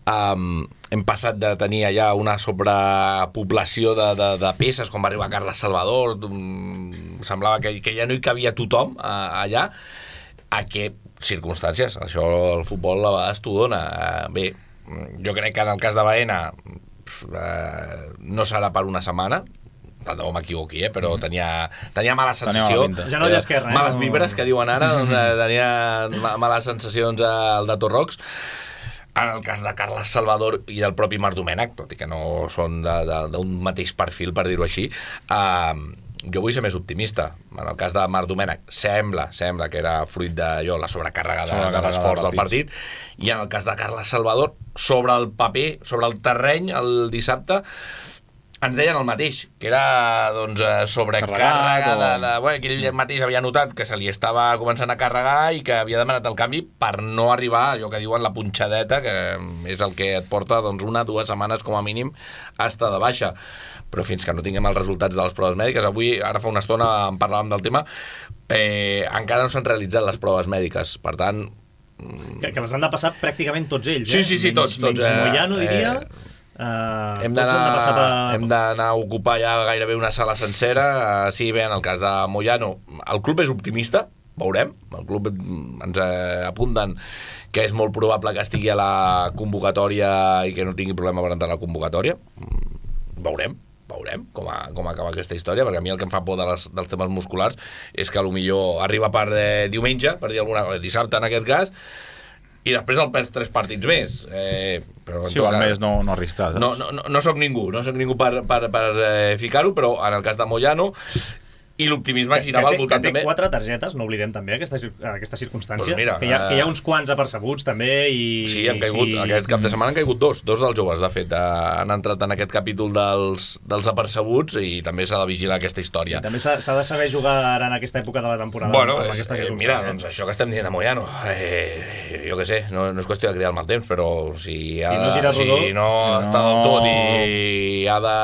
Um, hem passat de tenir allà una sobrepoblació de, de, de peces, com va arribar Carles Salvador, um, semblava que, que ja no hi cabia tothom uh, allà, a què circumstàncies. Això el futbol a vegades t'ho dona. Uh, bé, jo crec que en el cas de Baena eh, no serà per una setmana, tant de bo m'equivoqui, eh? Però tenia, tenia mala sensació, genoll esquerre, eh? males vibres que diuen ara, doncs, eh, tenia males sensacions al de Torrox. En el cas de Carles Salvador i del propi Marc Domènech, tot i que no són d'un mateix perfil, per dir-ho així, eh, jo vull ser més optimista. En el cas de Marc Domènech sembla, sembla que era fruit de jo, la sobrecàrrega de, de l'esforç del partit, i en el cas de Carles Salvador, sobre el paper, sobre el terreny, el dissabte, ens deien el mateix, que era doncs, sobrecàrrega de, de, bueno, que ell mateix havia notat que se li estava començant a carregar i que havia demanat el canvi per no arribar a allò que diuen la punxadeta, que és el que et porta doncs, una, dues setmanes com a mínim a estar de baixa. Però fins que no tinguem els resultats de les proves mèdiques, avui, ara fa una estona en parlàvem del tema, eh, encara no s'han realitzat les proves mèdiques, per tant... Que, que les han de passar pràcticament tots ells, sí, eh? Sí, sí, menys, tots. tots menys eh, Moyano, diria... Eh, Uh, hem d'anar a ocupar ja gairebé una sala sencera. Uh, sí, bé, en el cas de Moyano el club és optimista, veurem, el club ens eh, apunten que és molt probable que estigui a la convocatòria i que no tingui problema per entrar a la convocatòria. Veurem veurem com, a, com acaba aquesta història, perquè a mi el que em fa por de les, dels temes musculars és que potser arriba per eh, diumenge, per dir alguna cosa, dissabte en aquest cas, i després el perds tres partits més. Eh, però sí, al més no, no arriscar. No, no, no, no soc ningú, no soc ningú per, per, per eh, ficar-ho, però en el cas de Moyano i l'optimisme girava al voltant també. Que té també... quatre targetes, no oblidem també aquesta, aquesta circumstància, pues mira, que, hi ha, que hi ha uns quants apercebuts també i... Sí, han caigut, sí. Aquest cap de setmana han caigut dos, dos dels joves, de fet, han entrat en aquest capítol dels, dels apercebuts i també s'ha de vigilar aquesta història. I també s'ha de saber jugar ara en aquesta època de la temporada. Bueno, és, eh, mira, doncs això que estem dient de Moyano, eh, jo què sé, no, no és qüestió de cridar el mal temps, però si, ha, si no gira rodó, si no si està no... del tot i ha de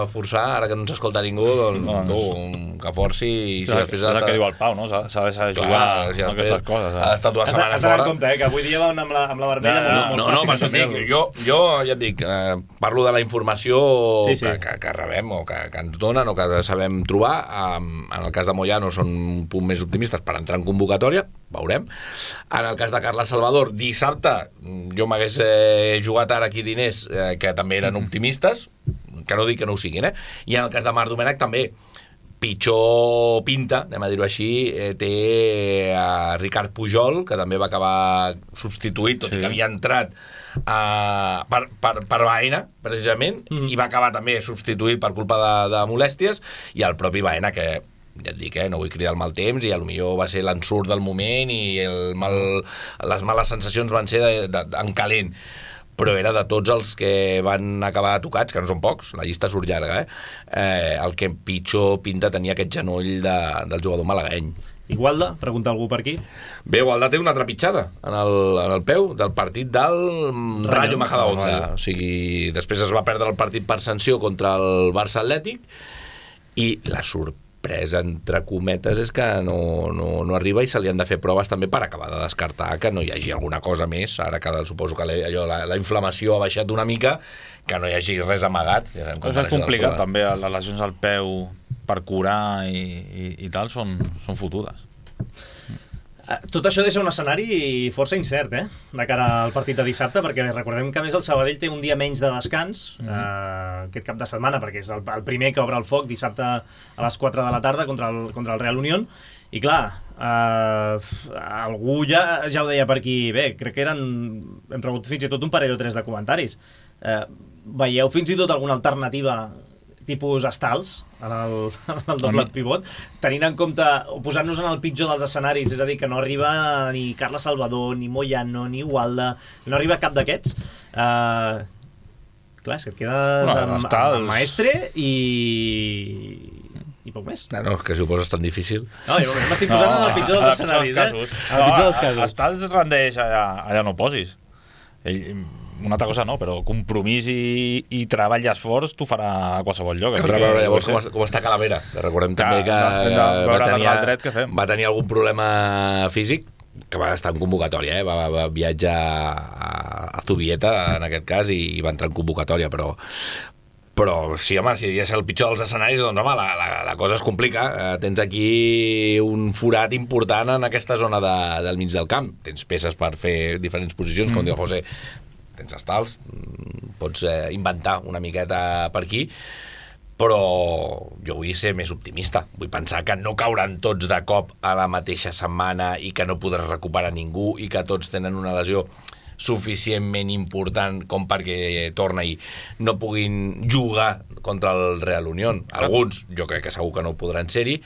forçar, ara que no ens escolta ningú, doncs no, no, tu, que forci i si és després el que diu el Pau, no? S'ha de saber jugar si amb aquestes coses. Ha d'estar dues setmanes fora. Has de compte, eh, que avui dia van amb la, amb la vermella no, molt, no, molt no, fàcil. No, no, dic, jo, jo ja et dic, eh, parlo de la informació sí, sí. Que, que, que rebem o que, que ens donen o que sabem trobar. Um, en el cas de Moyano són un punt més optimistes per entrar en convocatòria, veurem. En el cas de Carles Salvador, dissabte jo m'hagués eh, jugat ara aquí diners eh, que també eren optimistes, que no dic que no ho siguin, eh? I en el cas de Marc Domènech també. pitjor pinta, anem a dir-ho així, eh, té a Ricard Pujol, que també va acabar substituït, tot sí. i que havia entrat uh, per, per, per Baena, precisament, mm. i va acabar també substituït per culpa de, de molèsties, i el propi Baena, que ja et dic, eh, no vull cridar el mal temps, i a lo millor va ser l'ensurt del moment i el mal, les males sensacions van ser de, de, de, en calent, però era de tots els que van acabar tocats, que no són pocs, la llista surt llarga, eh? Eh, el que pitjor pinta tenia aquest genoll de, del jugador malagueny. I Gualda? Pregunta algú per aquí. Bé, Gualda té una trepitjada en el, en el peu del partit del Rayo Majadahonda. O sigui, després es va perdre el partit per sanció contra el Barça Atlètic i la sorpresa entre cometes és que no, no, no arriba i se li han de fer proves també per acabar de descartar que no hi hagi alguna cosa més, ara que suposo que la, allò, la, la inflamació ha baixat una mica, que no hi hagi res amagat. Ja és complicat també, les lesions al peu per curar i, i, i tal són, són fotudes. Tot això deixa un escenari força incert, eh? De cara al partit de dissabte, perquè recordem que a més el Sabadell té un dia menys de descans mm-hmm. eh, aquest cap de setmana, perquè és el, el primer que obre el foc dissabte a les quatre de la tarda contra el, contra el Real Unión, i clar, eh, algú ja, ja ho deia per aquí, bé, crec que eren, hem rebut fins i tot un parell o tres de comentaris. Eh, veieu fins i tot alguna alternativa tipus estals en el, en el doble pivot, tenint en compte o posant-nos en el pitjor dels escenaris, és a dir, que no arriba ni Carles Salvador, ni Moyano, ni Gualda, no arriba cap d'aquests. Uh, clar, és que et quedes no, amb, amb, amb Maestre i... i poc més. No, no, que si ho poses tan difícil. No, jo m'estic posant no, en el pitjor dels escenaris, eh? En el pitjor dels casos. Estals rendeix allà, allà no posis. Ell... una altra cosa no, però compromís i, i treball i esforç t'ho farà a qualsevol lloc. Caldrà veure llavors com, com està Calavera. Recordem que, també que, no, no, va, tenir, dret que fem. va tenir algun problema físic, que va estar en convocatòria, eh? va, va viatjar a, a Zubieta, en aquest cas, i, i va entrar en convocatòria, però però sí, home, si és el pitjor dels escenaris, doncs home, la, la, la cosa es complica. Eh, tens aquí un forat important en aquesta zona de, del mig del camp. Tens peces per fer diferents posicions, mm. com diu José, tens estals, pots eh, inventar una miqueta per aquí, però jo vull ser més optimista. Vull pensar que no cauran tots de cop a la mateixa setmana i que no podràs recuperar ningú i que tots tenen una lesió suficientment important com perquè torna i no puguin jugar contra el Real Unión. Alguns jo crec que segur que no podran ser-hi.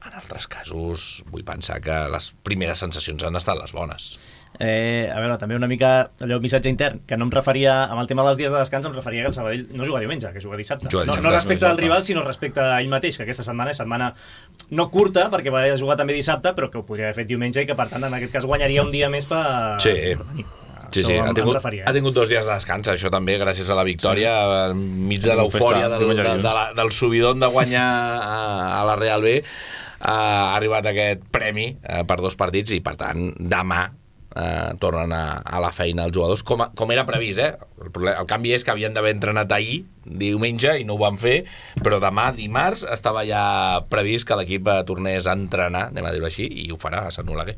En altres casos vull pensar que les primeres sensacions han estat les bones. Eh, a veure, també una mica allò missatge intern, que no em referia amb el tema dels dies de descans, em referia que el Sabadell no juga diumenge, que juga dissabte, juga dissabte no, no respecte al rival, sinó respecte a ell mateix, que aquesta setmana és setmana no curta, perquè va jugar també dissabte, però que ho podria haver fet diumenge i que per tant en aquest cas guanyaria un dia més per, sí. per venir. Sí, sí, ha tingut, referia, eh? ha tingut dos dies de descans, això també, gràcies a la victòria, sí. enmig de l'eufòria del, de, de la, del subidon de guanyar a, a la Real B, ha arribat aquest premi eh, per dos partits i, per tant, demà eh, tornen a, a la feina els jugadors, com, a, com era previst, eh? El, problema, el canvi és que havien d'haver entrenat ahir, diumenge, i no ho van fer, però demà, dimarts, estava ja previst que l'equip tornés a entrenar, anem a dir-ho així, i ho farà a Sant Oleguer.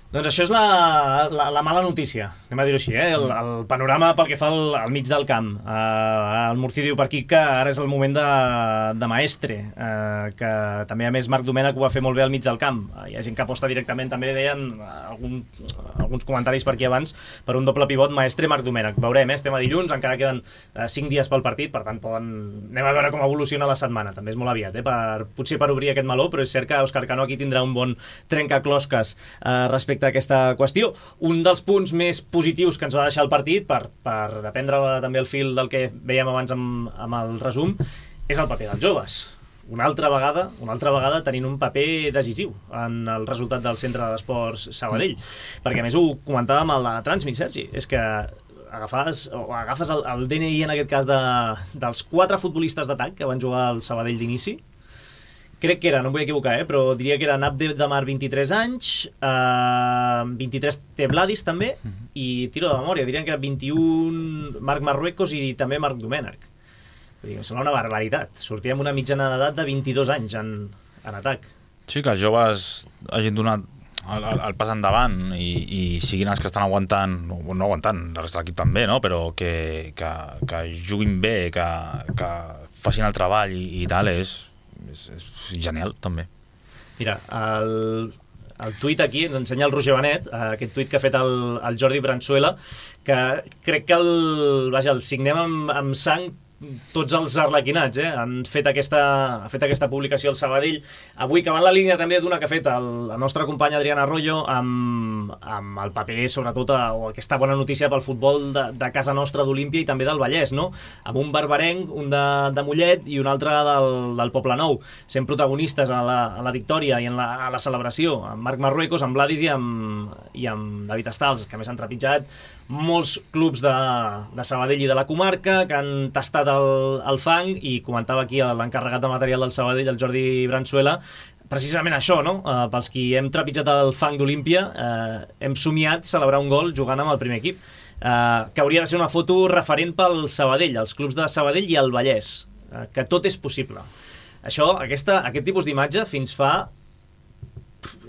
Doncs això és la, la, la mala notícia, anem a dir-ho així, eh? el, el panorama pel que fa al, al mig del camp. Uh, el Murci diu per aquí que ara és el moment de, de Maestre, uh, que també a més Marc Domènech ho va fer molt bé al mig del camp. Uh, hi ha gent que aposta directament, també deien algun, alguns comentaris per aquí abans, per un doble pivot Maestre-Marc Domènech. Veurem, eh? Estem a dilluns, encara queden uh, cinc dies pel partit, per tant poden... anem a veure com evoluciona la setmana, també és molt aviat, eh? per, potser per obrir aquest meló, però és cert que Òscar Cano aquí tindrà un bon trencaclosques uh, respecte aquesta qüestió. Un dels punts més positius que ens va deixar el partit, per, per aprendre també el fil del que veiem abans amb, amb el resum, és el paper dels joves. Una altra vegada, una altra vegada tenint un paper decisiu en el resultat del Centre d'Esports Sabadell. Perquè a més ho comentàvem a la Transmit, Sergi, és que agafes, o agafes el, el D N I en aquest cas de, dels quatre futbolistes d'atac que van jugar al Sabadell d'inici. Crec que era, no em vull equivocar, eh, però diria que era Abde Damar, vint-i-tres anys, eh, vint-i-tres té Vladis també, uh-huh. i tiro de memòria, dirien que era vint-i-un Marc Marruecos i també Marc Domènech. Em sembla una barbaritat. Sortia amb una mitjana d'edat de vint-i-dos anys en, en atac. Sí, que els joves hagin donat el, el, el pas endavant i, i siguin els que estan aguantant, no, no aguantant, el resta de l'equip també, no? Però que, que, que juguin bé, que, que facin el treball i, i tal, és és, és genial, també. Mira, el, el tuit aquí ens ensenya el Roger Benet, aquest tuit que ha fet el, el Jordi Branzuela, que crec que el, vaja, el signem amb, amb sang tots els arlequinats, eh? Han fet aquesta, ha fet aquesta publicació al Sabadell avui, que va en la línia també d'una que ha fet el, la nostra companya Adriana Arroyo amb, amb el paper, sobretot, a, o aquesta bona notícia pel futbol de, de casa nostra d'Olímpia i també del Vallès, no? Amb un barbarenc, un de, de Mollet i un altre del, del Poblenou, sent protagonistes a la, a la victòria i en la, a la celebració, amb Marc Marruecos, amb Vladis i amb, i amb David Estals, que a més han trepitjat molts clubs de, de Sabadell i de la comarca, que han tastat el, el fang, i comentava aquí l'encarregat de material del Sabadell, el Jordi Branzuela, precisament això, no? Uh, pels qui hem trepitjat el fang d'Olímpia, uh, hem somiat celebrar un gol jugant amb el primer equip, uh, que hauria de ser una foto referent pel Sabadell, els clubs de Sabadell i el Vallès, uh, que tot és possible. Això, aquesta, aquest tipus d'imatge fins fa...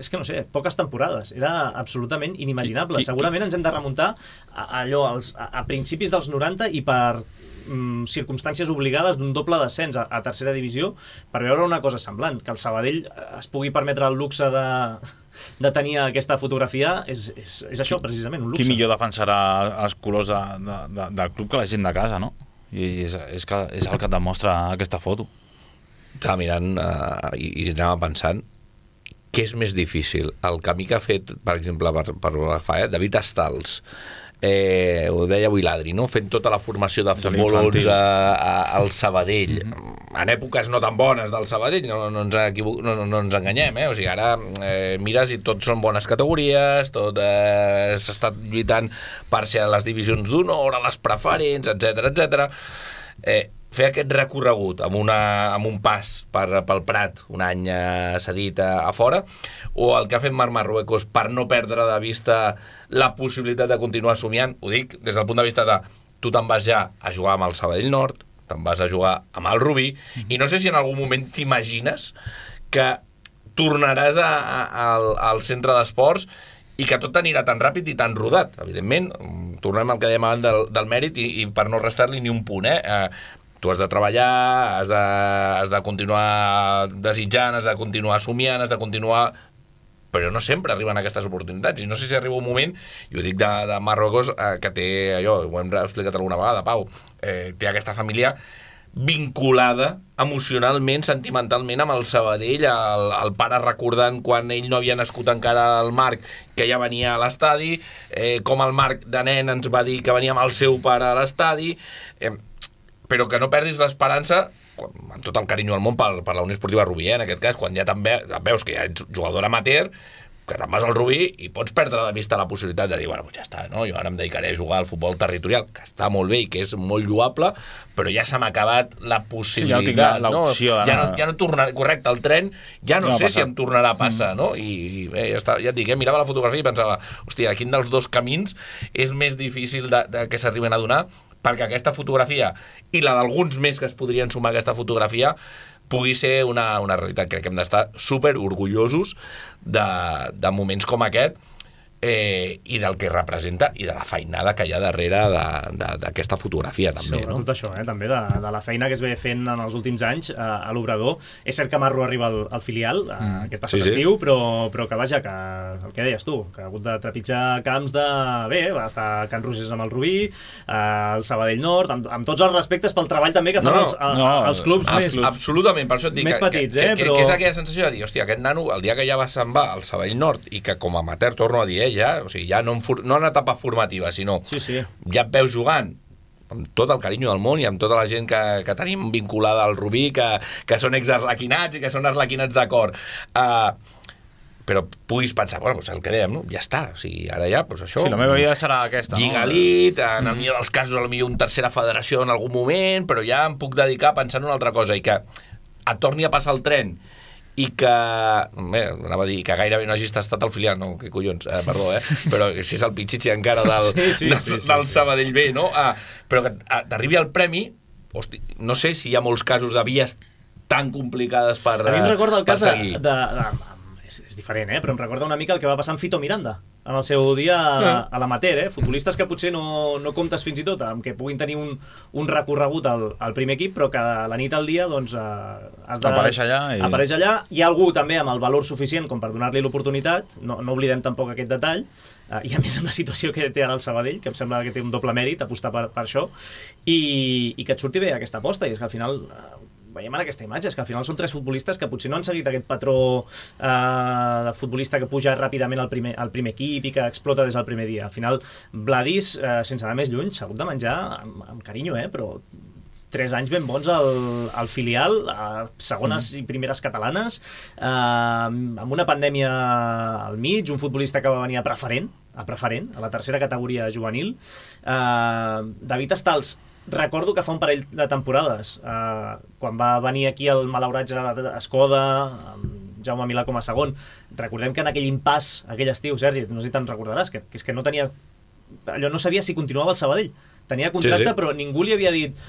és que no sé, poques temporades, era absolutament inimaginable. Qui, qui, Segurament ens hem de remuntar a, a allò, als, a, a principis dels noranta i per mm, circumstàncies obligades d'un doble descens a, a tercera divisió per veure una cosa semblant, que el Sabadell es pugui permetre el luxe de, de tenir aquesta fotografia és, és, és això, precisament, un luxe. Qui millor defensarà els colors de, de, de, del club que la gent de casa, no? I és, és, que, és el que et demostra aquesta foto. Estava mirant uh, i, i anava pensant què és més difícil, el camí que ha fet, per exemple, per, per agafar, eh? David Estals, eh, ho deia avui l'Adri, no? Fent tota la formació de futbol onze al Sabadell, mm-hmm. en èpoques no tan bones del Sabadell, no, no, ens, equivoc... no, no ens enganyem, eh? O sigui, ara eh, mires i tots són bones categories, tot eh, s'està lluitant per ser a les divisions d'honor, a les preferents, etcètera, etcètera. Eh, fer aquest recorregut amb, una, amb un pas per, pel Prat un any eh, cedit a, a fora, o el que ha fet Marc Marruecos per no perdre de vista la possibilitat de continuar somiant, ho dic des del punt de vista de tu te'n vas ja a jugar amb el Sabadell Nord, te'n vas a jugar amb el Rubí, mm-hmm. i no sé si en algun moment t'imagines que tornaràs a, a, al, al centre d'esports i que tot anirà tan ràpid i tan rodat. Evidentment, tornem al que dèiem abans del, del mèrit i, i per no restar-li ni un punt, eh? eh tu has de treballar, has de, has de continuar desitjant, has de continuar somiant, has de continuar... però no sempre arriben aquestes oportunitats, i no sé si arriba un moment, i ho dic de, de Marruecos, eh, que té allò, ho hem explicat alguna vegada, Pau, eh, té aquesta família vinculada emocionalment, sentimentalment amb el Sabadell, el, el pare recordant quan ell no havia nascut encara el Marc, que ja venia a l'estadi, eh, com el Marc de nen ens va dir que venia amb el seu pare a l'estadi, eh, però que no perdis l'esperança, amb tot el carinyo del món per, per la Unió Esportiva Rubí, eh, en aquest cas, quan ja també veus que ja ets jugador amateur, que te'n vas al Rubí i pots perdre de vista la possibilitat de dir, bueno, ja està, no? Jo ara em dedicaré a jugar al futbol territorial, que està molt bé i que és molt lloable, però ja se m'ha acabat la possibilitat. Sí, ja tinc l'opció. No? Ja, no, ja no tornarà, correcte, el tren ja no, no sé si em tornarà a passar, mm. no? I, i bé, ja, està, ja et dic, eh, mirava la fotografia i pensava, hòstia, quin dels dos camins és més difícil de, de que s'arriben a donar, perquè aquesta fotografia i la d'alguns més que es podrien sumar a aquesta fotografia pugui ser una, una realitat. Crec que hem d'estar super orgullosos de, de moments com aquest, eh, i del que representa i de la feinada que hi ha darrere d'aquesta fotografia també, no? Tot això, eh? També de, de la feina que es ve fent en els últims anys eh, a l'Obrador. És cert que Marro arriba al, al filial eh, mm. aquest passat sí, estiu, sí. però, però que vaja, que el que deies tu, que ha hagut de trepitjar camps de... Bé, va estar a Can Rosés amb el Rubí, eh, el Sabadell Nord, amb, amb tots els respectes pel treball també que fan no, els, no, els clubs ab més... Absolutament, per això et dic més que, petits, que, eh? que, Però... que és aquella sensació de dir, hòstia, aquest nano, el dia que ja va se'n va al Sabadell Nord i que com a amateur, torno a dir, eh, ja, o sigui, ja no en, no en etapa formativa, sinó sí, sí. ja et veus jugant amb tot el carinyo del món i amb tota la gent que, que tenim vinculada al Rubí, que, que són exarlequinats i que són arlequinats de cor. Uh, però puguis pensar, bueno, doncs el que dèiem, no? Ja està, o sigui, ara ja, doncs això... Sí, la meva vida serà aquesta, Lliga no? Elit, en el millor dels casos, potser una tercera federació en algun moment, però ja em puc dedicar a pensar en una altra cosa i que et torni a passar el tren i que, bé, anava a dir que gairebé no hagis estat al filial, no, que collons, eh, perdó, eh, però si és el pitxitxi encara del, sí, sí, del, sí, sí, del sí. Sabadell B, no? Ah, però que t'arribi el premi, hosti, no sé si hi ha molts casos de vies tan complicades per seguir. A mi em recorda el cas de, de, de, de és, és diferent, eh? Però em recorda una mica el que va passar amb Fito Miranda en el seu dia a, a l'amateur, eh? Futbolistes que potser no, no comptes fins i tot amb que puguin tenir un, un recorregut al, al primer equip, però que la nit al dia doncs, eh, has de... Apareix allà. I... Apareix allà. Hi ha algú també amb el valor suficient com per donar-li l'oportunitat, no, no oblidem tampoc aquest detall, eh, i a més amb la situació que té ara el Sabadell, que em sembla que té un doble mèrit apostar per, per això, i, i que et surti bé aquesta aposta, i és que al final... Eh, veiem en aquesta imatge, és que al final són tres futbolistes que potser no han seguit aquest patró eh, de futbolista que puja ràpidament al primer, al primer equip i que explota des del primer dia. Al final, Vladis, eh, sense anar més lluny, s'ha hagut de menjar amb, amb carinyo, eh, però tres anys ben bons al, al filial, a segones mm. i primeres catalanes, eh, amb una pandèmia al mig, un futbolista que va venir a preferent, a preferent, a la tercera categoria juvenil. Eh, David Estals, recordo que fa un parell de temporades, eh, quan va venir aquí el malaurat Gerard Escoda, amb Jaume Milà com a segon, recordem que en aquell impàs, aquell estiu, Sergi, no sé si te'n recordaràs, que, que és que no tenia... Allò no sabia si continuava el Sabadell. Tenia contracte, sí, sí. Però ningú li havia dit...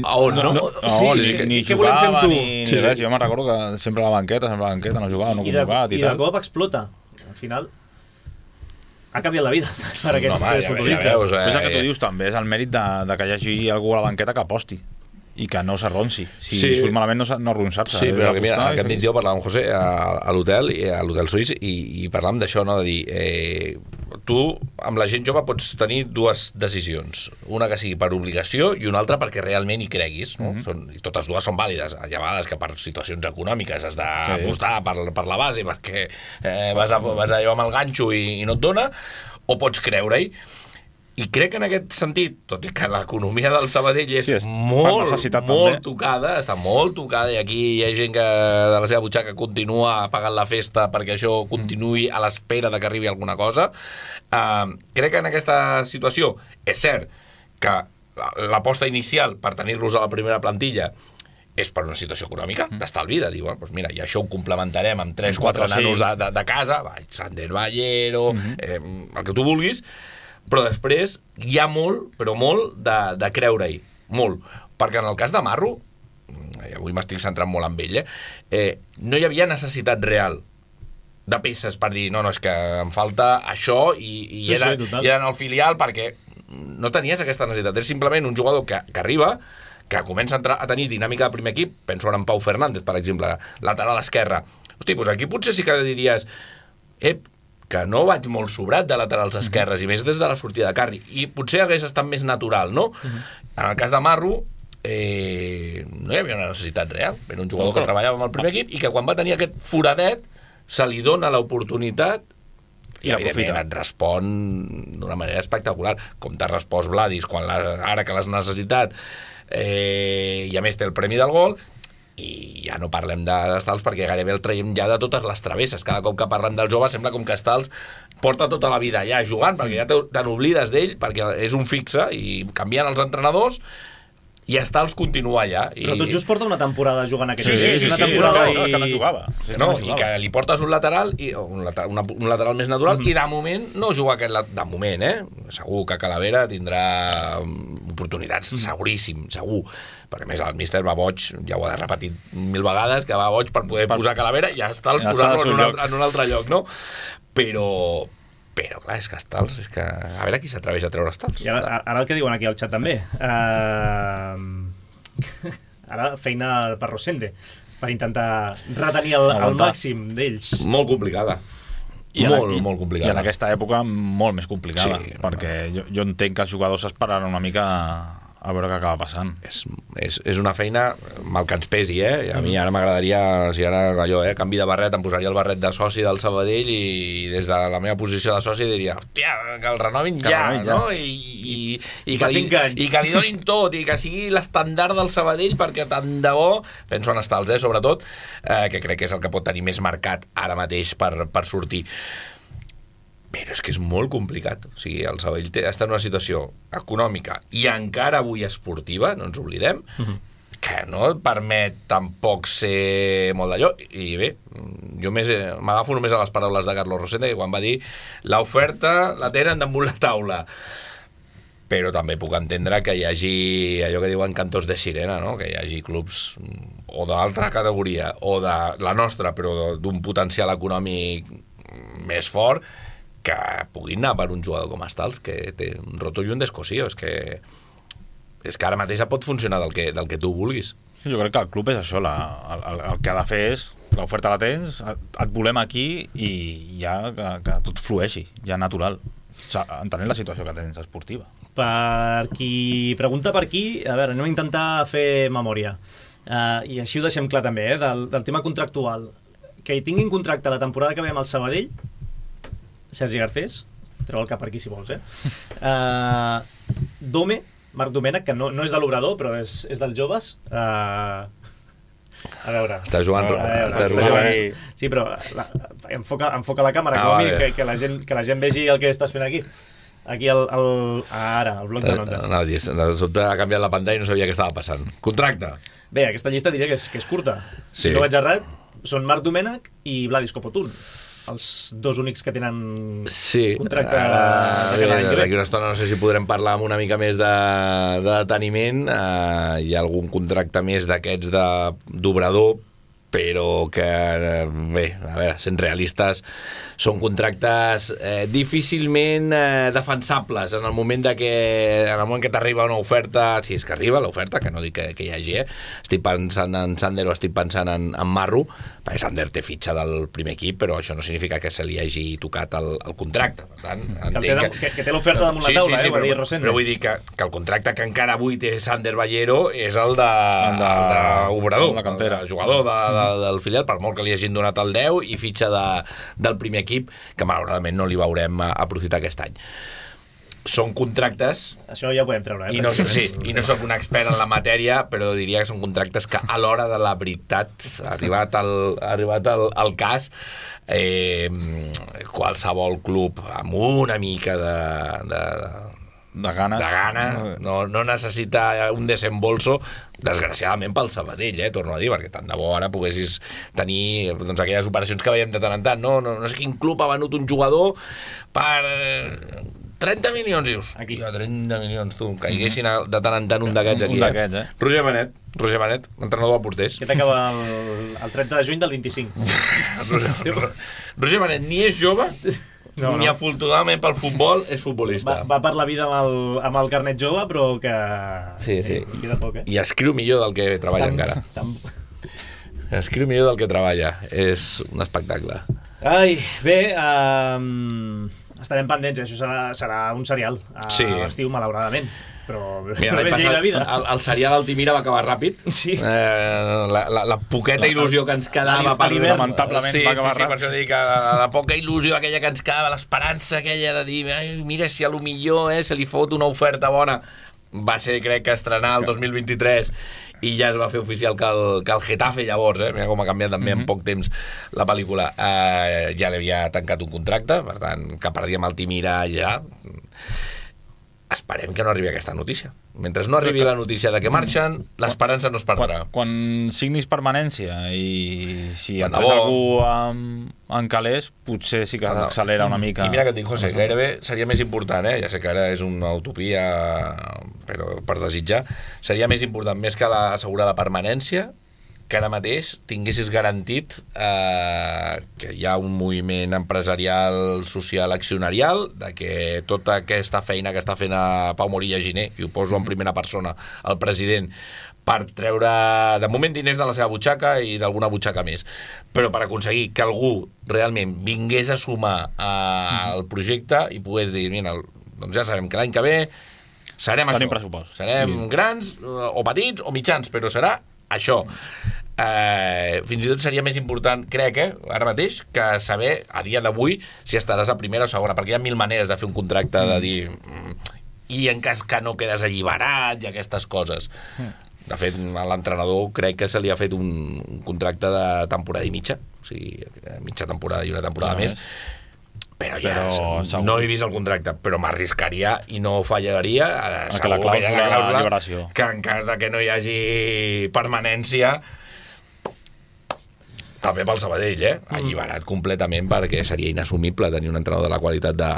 A on? No, no, no, sí, ni, que, ni què volem fer amb tu? Ni, ni sí, res, sí. Jo me'n recordo que sempre a la banqueta, sempre a la banqueta, no jugava, no convocat i, i tal. I de cop explota. Al final... ha canviat la vida per aquests no, home, tres ja, futbolistes. Ja veus, eh, és el que tu dius també, és el mèrit de, de que hi hagi algú a la banqueta que aposti i que no s'arronsi. Si sí. surt malament, no, no arronsar-se. Sí, però que mira, aquest i... migdia parlàvem amb José a, a l'hotel, a l'hotel suís, i, i parlàvem d'això, no? De dir, eh, tu amb la gent jove pots tenir dues decisions, una que sigui per obligació i una altra perquè realment hi creguis, no? Mm-hmm. Són, i totes dues són vàlides. Hi ha vegades que per situacions econòmiques has d'apostar sí. per, per la base perquè eh, vas, a, vas allò amb el ganxo i, i no et dona, o pots creure-hi. I crec que en aquest sentit, tot i que l'economia del Sabadell és, sí, és molt, molt tocada, està molt tocada, i aquí hi ha gent que de la seva butxaca continua pagant la festa perquè això continuï a l'espera de que arribi alguna cosa, uh, crec que en aquesta situació és cert que l'aposta inicial per tenir-los a la primera plantilla és per una situació econòmica, d'estalvi, de dir, bueno, doncs mira, i això ho complementarem amb tres o quatre nanos de, de, de casa, Sander Ballero, uh-huh. eh, el que tu vulguis, però després hi ha molt, però molt de, de creure-hi, molt, perquè en el cas de Marro, i avui m'estic centrant molt en ell, eh, eh, no hi havia necessitat real de peces per dir, no, no, és que em falta això i, i, sí, era, sí, i era en el filial perquè no tenies aquesta necessitat, és simplement un jugador que, que arriba, que comença a, entrar, a tenir dinàmica de primer equip, penso ara en Pau Fernández, per exemple, lateral esquerra. Hosti, doncs aquí potser sí que diries, ep, que no vaig molt sobrat de laterals esquerres, uh-huh. i més des de la sortida de Carri, i potser hagués estat més natural, no? Uh-huh. En el cas de Marro, eh, no hi havia una necessitat real, era un jugador no, que treballava amb el primer equip, i que quan va tenir aquest foradet, se li dona l'oportunitat, i, I evidentment et respon d'una manera espectacular, com t'ha respost Vladis, quan la, ara que l'has necessitat, eh, i a més té el premi del gol, i ja no parlem d'Estals perquè gairebé el traiem ja de totes les travesses. Cada cop que parlem del jove sembla com que Estals porta tota la vida ja jugant, perquè ja te n'oblides d'ell, perquè és un fixe i canvien els entrenadors i Estals continua allà. I... Però tot just porta una temporada jugant aquest sí, sí, sí, una sí, temporada sí, no, i... que no jugava. Sí, no, no jugava. I que li portes un lateral i, un, lateral, una, un lateral més natural mm-hmm. i de moment no juga aquest lateral, de moment, eh? Segur que Calavera tindrà oportunitats, mm-hmm. seguríssim, segur. Perquè més el míster va boig, ja ho ha repetit mil vegades, que va boig per poder per... posar Calavera i ja està ja posar-lo en, un altre, en un altre lloc, no? Però... Però, clar, és que Estals, és que... A veure qui s'atreveix a treure Estals. I ara, ara el que diuen aquí al xat també. Uh... ara feina per Rosende, per intentar retenir el, el màxim d'ells. Molt complicada. I molt, en, molt complicada. I en aquesta època molt més complicada, sí, perquè jo, jo entenc que els jugadors s'esperaran una mica a veure què acaba passant. És, és, és una feina mal que ens pesi, eh? A mi ara m'agradaria, si ara allò, eh, canvi de barret, em posaria el barret de soci del Sabadell i des de la meva posició de soci diria, hòstia, que el renovin ja, renovin ja, no? I, i, i, i, que li, i que li donin tot, i que sigui l'estandard del Sabadell, perquè tant de bo, penso en Estals, eh, sobretot, eh, que crec que és el que pot tenir més marcat ara mateix per, per sortir. Però és que és molt complicat. O sigui, el Sabadell té, està en una situació econòmica i encara avui esportiva, no ens oblidem, uh-huh. que no et permet tampoc ser molt d'allò. I bé, jo més, m'agafo només a les paraules de Carlos Rosende, que quan va dir l'oferta la tenen damunt la taula. Però també puc entendre que hi hagi allò que diuen cantos de sirena, no? Que hi hagi clubs o d'altra categoria o de la nostra, però d'un potencial econòmic més fort, que puguin anar per un jugador com Stals, que té un roto i un descosío. És que, és que ara mateix pot funcionar del que, del que tu vulguis. Sí, jo crec que el club és això, la, el, el que ha de fer és, l'oferta la tens, et volem aquí i ja que, que tot flueixi, ja natural, o sigui, entenent la situació que tens esportiva. Per qui pregunta per aquí, a veure, anem a intentar fer memòria. Uh, I així ho deixem clar també, eh, del, del tema contractual. Que hi tinguin contracte la temporada que ve amb el Sabadell, Sergi Garcés, treu el cap per aquí si vols, eh? Uh, Dome, Marc Domènech, que no, no és de l'Obrador, però és, és dels joves. Uh, a veure... Està jugant... A veure, està està jugant... Sí, però la, enfoca, enfoca la càmera, Ah, que, vale. que, que, la gent, que la gent vegi el que estàs fent aquí. Aquí, el, el, ara, el bloc de notes. No, de sobte ha canviat la pantalla i no sabia què estava passant. Contracte. Bé, aquesta llista diria que és, que és curta. Sí. Si no vaig errat, són Marc Domènech i Vladis Copotun, els dos únics que tenen Sí, contracte ara, de bé, cada any que ve. d'aquí una estona no sé si podrem parlar amb una mica més de, de deteniment. Uh, hi ha algun contracte més d'aquests de d'obrador, però que, bé, a veure, sent realistes, són contractes eh, difícilment eh, defensables en el moment de que, en el moment que t'arriba una oferta, si és que arriba l'oferta, que no dic que, que hi hagi, eh? Estic pensant en Sander o estic pensant en, en Marro, perquè Sander té fitxa del primer equip, però això no significa que se li hagi tocat el, el contracte. Per tant, Que, el té, entenc de, que, que té l'oferta damunt sí, la taula, sí, sí, eh, va però, dir Rosende. però vull dir que, que el contracte que encara avui té Sander Ballero és el de, El de- el de Obrador, la cantera. el jugador de, de, del filial, per molt que li hagin donat el deu i fitxa de, del primer equip, que malauradament no li veurem a, aprofitar aquest any. Són contractes, Això ja ho podem treure, eh? i no, sí, i no sóc un expert en la matèria, però diria que són contractes que a l'hora de la veritat, arribat al, arribat al, al cas, eh, qualsevol club amb una mica de, de, De ganes. de gana, no, no necessita un desembolso, desgraciadament pel Sabadell, eh, torno a dir, perquè tant de bo ara poguessis tenir doncs, aquelles operacions que veiem de tant en tant. No, no, no sé quin club ha venut un jugador per trenta milions, dius. Aquí. Ja, trenta milions, tu, caiguessin de tant en tant un d'aquests aquí. Un d'aquests, eh? Roger Benet, Roger Benet, entrenador de porters. Que t'acaba el, el trenta de juny del vint-i-cinc. Roger, Roger Benet ni és jove, No, ni no. afortunadament pel futbol és Va, futbolista. va per la vida amb el, amb el carnet jove, però que... Sí, sí. Eh, queda poc, eh? I escriu millor del que treballa Tam- encara. tam- Escriu millor del que treballa. És un espectacle. Ai, bé, um, estarem pendents, eh? Això serà, serà un serial a Sí. l'estiu, malauradament. Però, Mira, però l'any bé, llei passat, la vida. el, el serial Altimira va acabar ràpid. Sí. Eh, la, la, la poqueta il·lusió que ens quedava A l'hivern, lamentablement, sí, va acabar sí, sí, per ràpid. això dic que la, la poca il·lusió aquella que ens quedava, l'esperança aquella de dir, ai, mira, si a lo millor eh, se li fot una oferta bona, va ser, crec que estrenar el dos mil vint-i-tres i ja es va fer oficial que el, que el Getafe llavors, eh, mira com ha canviat també en poc temps la pel·lícula, eh, ja li havia tancat un contracte, per tant, que perdíem Altimira ja. Esperem que no arribi aquesta notícia. Mentre no arribi la notícia de que marxen, l'esperança no es perdrà. Quan, quan signis permanència i si Tant de entres bo. algú amb, en calés, potser sí que Tant de- s'accelera una mica. I mira que et dic, José, gairebé seria més important, eh? Ja sé que ara és una utopia, però per desitjar, seria més important, més que la, assegurar la permanència, que ara mateix tinguessis garantit eh, que hi ha un moviment empresarial, social, accionarial, de que tota aquesta feina que està fent a Pau Morilla Giner, i ho poso en primera persona, el president, per treure, de moment, diners de la seva butxaca i d'alguna butxaca més, però per aconseguir que algú realment vingués a sumar eh, al projecte i poder dir, mira, doncs ja sabem que l'any que ve serem Tenim això, pressupost. serem Sí. grans eh, o petits o mitjans, però serà això. Eh, fins i tot seria més important, crec, eh, ara mateix, que saber a dia d'avui si estaràs a primera o segona, perquè hi ha mil maneres de fer un contracte, de dir mm, i en cas que no quedes alliberat i aquestes coses. De fet, a l'entrenador crec que se li ha fet un, un contracte de temporada i mitja, o sigui, mitja temporada i una temporada No més, però ja Però segur. no he vist el contracte, però m'arriscaria i no fallaria a, que segur la que hi ha la clàusula de clàusula alliberació. que en cas de que no hi hagi permanència també pel Sabadell, eh? Alliberat completament, perquè seria inassumible tenir un entrenador de la qualitat de,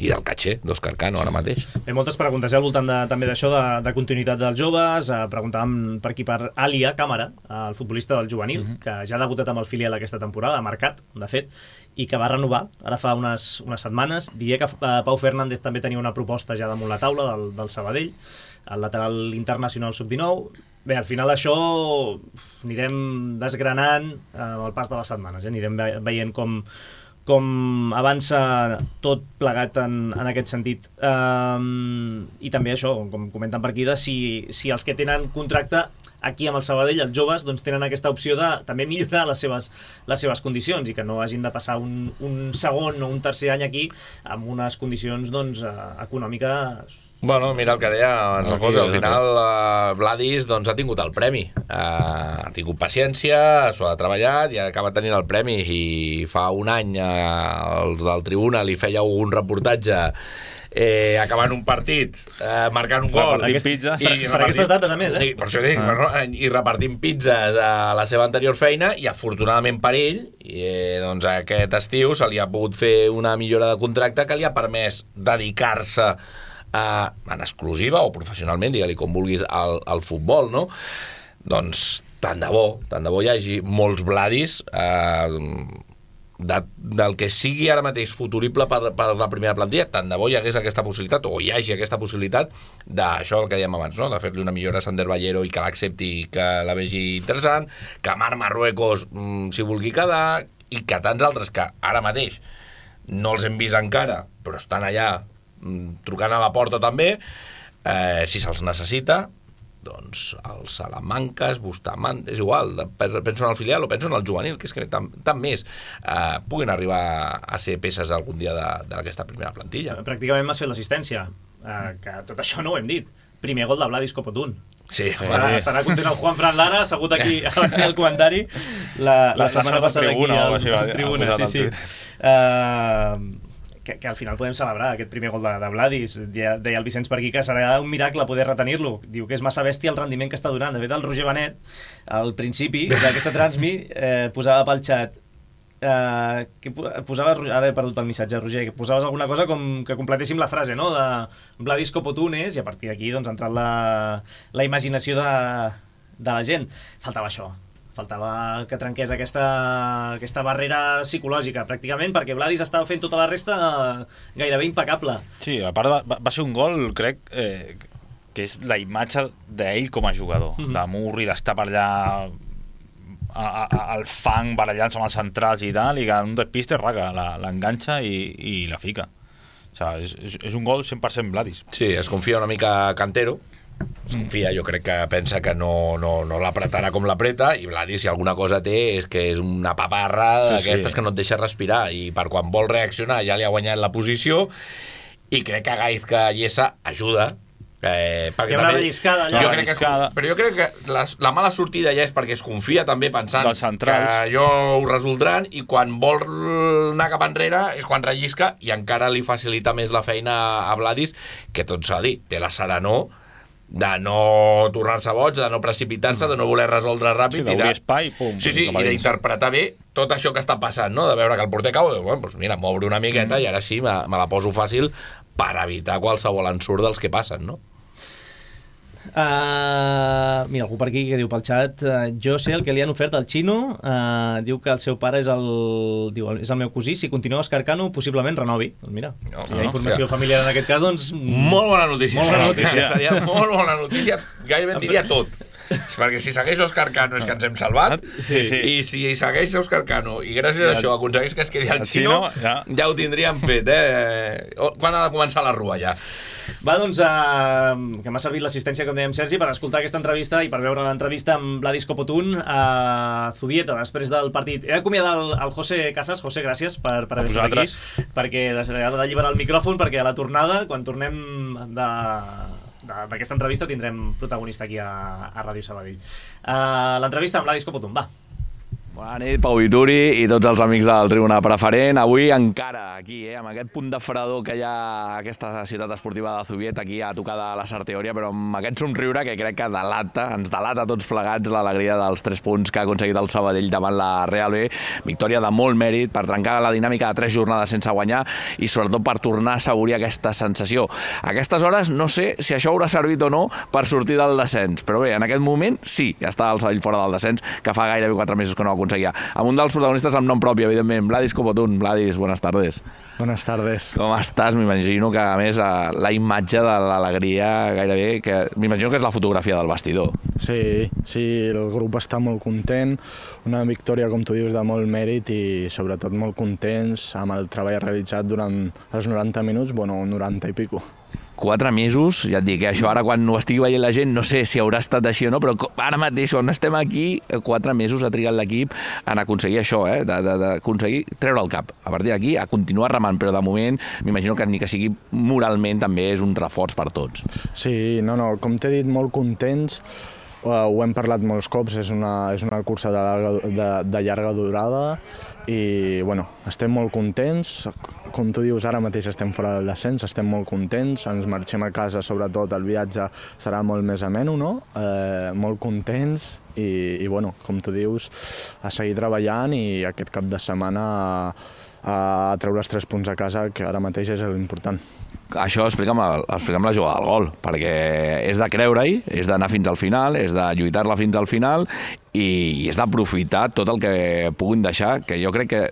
i del caché d'Òscar Cano ara mateix. Hi ha moltes preguntes eh, al voltant de, també d'això, de, de continuïtat dels joves. Eh, preguntàvem per aquí per Alia Càmara, el futbolista del juvenil, uh-huh. que ja ha debutat amb el filial aquesta temporada, ha marcat, de fet, i que va renovar ara fa unes, unes setmanes. Diria que eh, Pau Fernández també tenia una proposta ja damunt la taula del, del Sabadell, el lateral internacional sub dinou. Bé, al final això anirem desgranant eh, amb el pas de les setmanes, eh? Anirem ve veient com com avança tot plegat en, en aquest sentit. Um, I també això, com comenten per aquí, de si, si els que tenen contracte aquí amb el Sabadell, els joves, doncs tenen aquesta opció de també millorar les seves, les seves condicions i que no hagin de passar un, un segon o un tercer any aquí amb unes condicions doncs, econòmiques. Bueno, mira el que deia abans el José, al final uh, Vladis doncs, ha tingut el premi, uh, ha tingut paciència, s'ho ha treballat i acaba tenint el premi, i fa un any uh, els del Tribuna li feia un reportatge eh, acabant un partit, eh, marcant un gol Aquest, pizzas, i per, per aquestes dates a més, eh? I, per això dic, ah. bueno, i repartint pizzas a la seva anterior feina, i afortunadament per ell eh, doncs aquest estiu se li ha pogut fer una millora de contracte que li ha permès dedicar-se Uh, en exclusiva o professionalment, digue-li com vulguis, al, al futbol, no? Doncs tant de bo, tant de bo hi hagi molts Vladis uh, de, del que sigui ara mateix futurible per, per la primera plantilla, tant de bo hi hagués aquesta possibilitat, o hi hagi aquesta possibilitat d'això el que dèiem abans, no? De fer-li una millora a Sander Ballero i que l'accepti, que la vegi interessant, que Marc Marruecos mm, s'hi vulgui quedar, i que tants altres que ara mateix no els hem vist encara, però estan allà trucant a la porta també, eh, si se'ls necessita, doncs els Salamanques, Bustamant, és igual, penso en el filial o penso en el juvenil, que és que tant, tant més eh, puguin arribar a ser peces algun dia d'aquesta primera plantilla. Pràcticament m'has fet l'assistència, eh, que tot això no ho hem dit. Primer gol de Vladis Copotún. Sí, estarà, estarà content el Juan Fran Lara, assegut aquí abans del comentari la, la, la setmana passada aquí al, al Tribuna, sí, sí. Uh, Que, que al final podem celebrar aquest primer gol de, de Vladis. Deia, deia el Vicenç per aquí que serà un miracle poder retenir-lo. Diu que és massa bèstia el rendiment que està donant. De fet, el Roger Benet, al principi d'aquesta transmi, eh, posava pel xat eh, que posava, ara he perdut el missatge, Roger, que posaves alguna cosa com que completéssim la frase, no?, de Vladis Copotunes, i a partir d'aquí doncs, ha entrat la, la imaginació de, de la gent. Faltava això. Faltava que trenqués aquesta, aquesta barrera psicològica, pràcticament, perquè Vladis estava fent tota la resta gairebé impecable. Sí, a part va, va ser un gol, crec, eh, que és la imatge d'ell com a jugador, mm-hmm. de Murri, d'estar per allà a, a, al fang barallant-se amb els centrals i tal, i que un despiste raga, l'enganxa i, i la fica. O sigui, és, és un gol cent per cent Vladis. Sí, es confia una mica Cantero, es confia, jo crec que pensa que no, no, no l'apretarà com l'apreta, i Vladis, si alguna cosa té, és que és una paparra d'aquestes sí, sí. que no et deixa respirar, i per quan vol reaccionar ja li ha guanyat la posició, i crec que Gaizka Lliesa ajuda. Eh, hi ha una relliscada allà. Jo crec que es, però jo crec que la, la mala sortida ja és perquè es confia també pensant que jo ho resoldran, i quan vol anar cap enrere és quan rellisca, i encara li facilita més la feina a Vladis, que tot s'ha dit, té la serenor de no tornar-se boig, de no precipitar-se, de no voler resoldre ràpid. Sí, d'obrir espai, pum. Sí, sí, i d'interpretar bé tot això que està passant, no? De veure que el porter cau, bueno, doncs mira, m'obro una miqueta mm. i ara sí, me, me la poso fàcil per evitar qualsevol ensurt dels que passen, no? Uh, mira, algú per aquí que diu pel xat, uh, jo sé el que li han ofert al Xino, uh, diu que el seu pare és el, diu, és el meu cosí, si continua Escarcano possiblement renovi. Doncs mira, no, si hi ha informació hòstia. familiar en aquest cas, doncs... Molt bona notícia, molt bona notícia. Seria molt bona notícia, gairebé en diria tot. És perquè si segueix Òscar Cano és que ens hem salvat, sí, sí. i si segueix Òscar Cano i gràcies a això aconsegueix que es quedi al Xino, ja. ja ho tindríem fet, eh? Quan ha de començar la rua, ja? Va, doncs, uh, que m'ha servit l'assistència, com dèiem, Sergi, per escoltar aquesta entrevista i per veure l'entrevista amb Vladis Copotún a Zubieta després del partit. He d'acomiadar el, el José Casas. José, gràcies per, per haver estat aquí, perquè ha d'alliberar el micròfon, perquè a la tornada, quan tornem de... d'aquesta entrevista tindrem protagonista aquí a, a Ràdio Sabadell. Uh, l'entrevista amb Vladis Copotún, va. Bona nit, Pau Vituri i tots els amics del Tribuna Preferent. Avui encara aquí, eh, amb aquest punt de fredor que hi ha a aquesta ciutat esportiva de Zubiet, aquí a tocar de la Sarteoria, però amb aquest somriure que crec que delata, ens delata a tots plegats l'alegria dels tres punts que ha aconseguit el Sabadell davant la Real B. Victòria de molt mèrit per trencar la dinàmica de tres jornades sense guanyar i sobretot per tornar a assaborir aquesta sensació. A aquestes hores no sé si això haurà servit o no per sortir del descens, però bé, en aquest moment sí, ja està el Sabadell fora del descens, que fa gairebé quatre mesos que no ho aconseguia. Amb un dels protagonistes amb nom propi, evidentment, Vladis Copotún. Vladis, buenas tardes. Buenas tardes. Com estàs? M'imagino que, a més, la imatge de l'alegria gairebé, que m'imagino que és la fotografia del vestidor. Sí, sí, el grup està molt content, una victòria, com tu dius, de molt mèrit i sobretot molt contents amb el treball realitzat durant els noranta minuts, bueno, noranta i pico. Quatre mesos, ja et dic, eh? Això ara quan ho estigui veient la gent no sé si haurà estat així o no, però ara mateix quan estem aquí, quatre mesos ha trigat l'equip en aconseguir això, eh? d'aconseguir treure el cap. A partir d'aquí, a continuar remant, però de moment m'imagino que ni que sigui moralment també és un reforç per tots. Sí, no, no, com t'he dit, molt contents, uh, ho hem parlat molts cops, és una, és una cursa de, larga, de, de llarga durada i bueno, estem molt contents. Com tu dius, ara mateix estem fora del descens, estem molt contents, ens marxem a casa, sobretot el viatge serà molt més ameno, no? Eh, molt contents i, i bueno, com tu dius, a seguir treballant i aquest cap de setmana a, a treure els tres punts a casa, que ara mateix és l'important. Això explica'm, explica'm la jugada del gol, perquè és de creure-hi, és d'anar fins al final, és de lluitar-la fins al final i és d'aprofitar tot el que puguin deixar, que jo crec que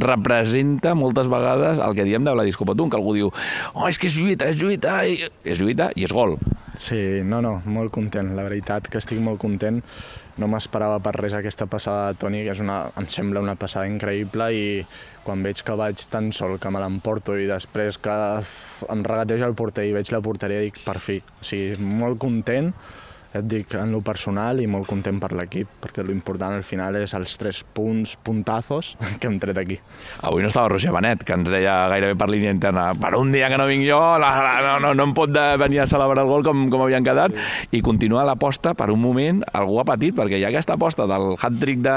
representa moltes vegades el que diem de Vladis Copotún, que algú diu oh, és que és lluita, és lluita, i... és lluita i és gol. Sí, no, no, molt content, la veritat que estic molt content. No m'esperava per res aquesta passada de Toni, que és una, em sembla una passada increïble i quan veig que vaig tan sol que me l'emporto i després que em regateja el porter i veig la porteria dic per fi, o sigui, molt content, et dic, en lo personal i molt content per l'equip, perquè l'important al final és els tres punts, puntazos que hem tret aquí. Avui no estava Roger Benet, que ens deia gairebé per línia interna per un dia que no vinc jo, la, la, no, no, no em pot de, venir a celebrar el gol com, com havien quedat, sí. I continua l'aposta per un moment, algú ha patit, perquè hi ha aquesta aposta del hat-trick de,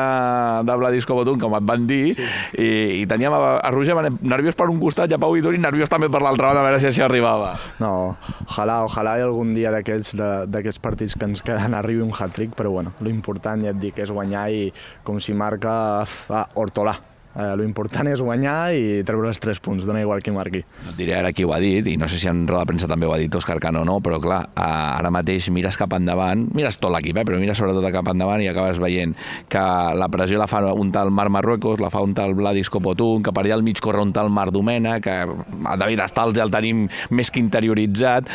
de Vladis Copotún, com et van dir, sí. i, i teníem a, a Roger Benet nerviós per un costat i a Pau Vituri nerviós també per l'altre banda, a veure si això arribava. No, ojalà, ojalà hi algun dia d'aquests partits que ens queden arribi un hat-trick, però bueno, l'important, ja et dic, és guanyar i com si marca ah, Hortolà. Eh, l'important és guanyar i treure els tres punts, dona igual qui marqui. No et diré ara qui ho ha dit, i no sé si en roda de premsa també ho ha dit Òscar Cano o no, però clar, ara mateix mires cap endavant, mires tot l'equip, eh, però mires sobretot cap endavant i acabes veient que la pressió la fa un tal Marc Marruecos, la fa un tal Vladis Copotún, que per allà al mig corre un tal Marc Domènech, que a David Estals ja el tenim més que interioritzat.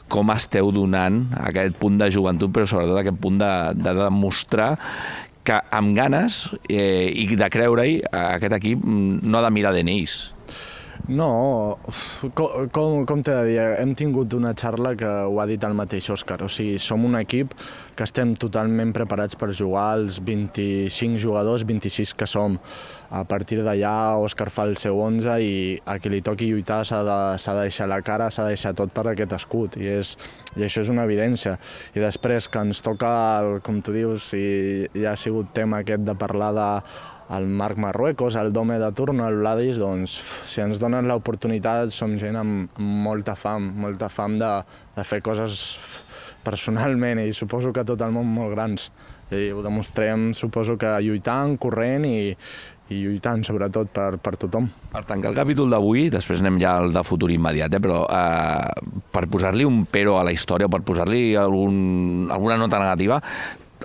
Com esteu donant aquest punt de joventut, però sobretot aquest punt de, de demostrar que amb ganes eh, i de creure-hi aquest equip no ha de mirar d'N Is. No, com, com, com t'he de dir, hem tingut una xarra que ho ha dit el mateix Òscar, o sigui, som un equip que estem totalment preparats per jugar els vint-i-cinc jugadors, vint-i-sis que som. A partir d'allà, Òscar fa el seu onze i a qui li toqui lluitar s'ha de, s'ha de deixar la cara, s'ha de deixar tot per aquest escut, i, és, i això és una evidència. I després que ens toca, el, com tu dius, i ja ha sigut tema aquest de parlar de el Marc Marruecos, el Dome de turno, el Vladis, doncs si ens donen l'oportunitat som gent amb molta fam, molta fam de, de fer coses personalment i suposo que tot el món molt grans. I ho demostrem, suposo que lluitant, corrent i, i lluitant sobretot per, per tothom. Per tancar el capítol d'avui, després anem ja al de futur immediat, eh? però eh, per posar-li un pero a la història, per posar-li algun, alguna nota negativa,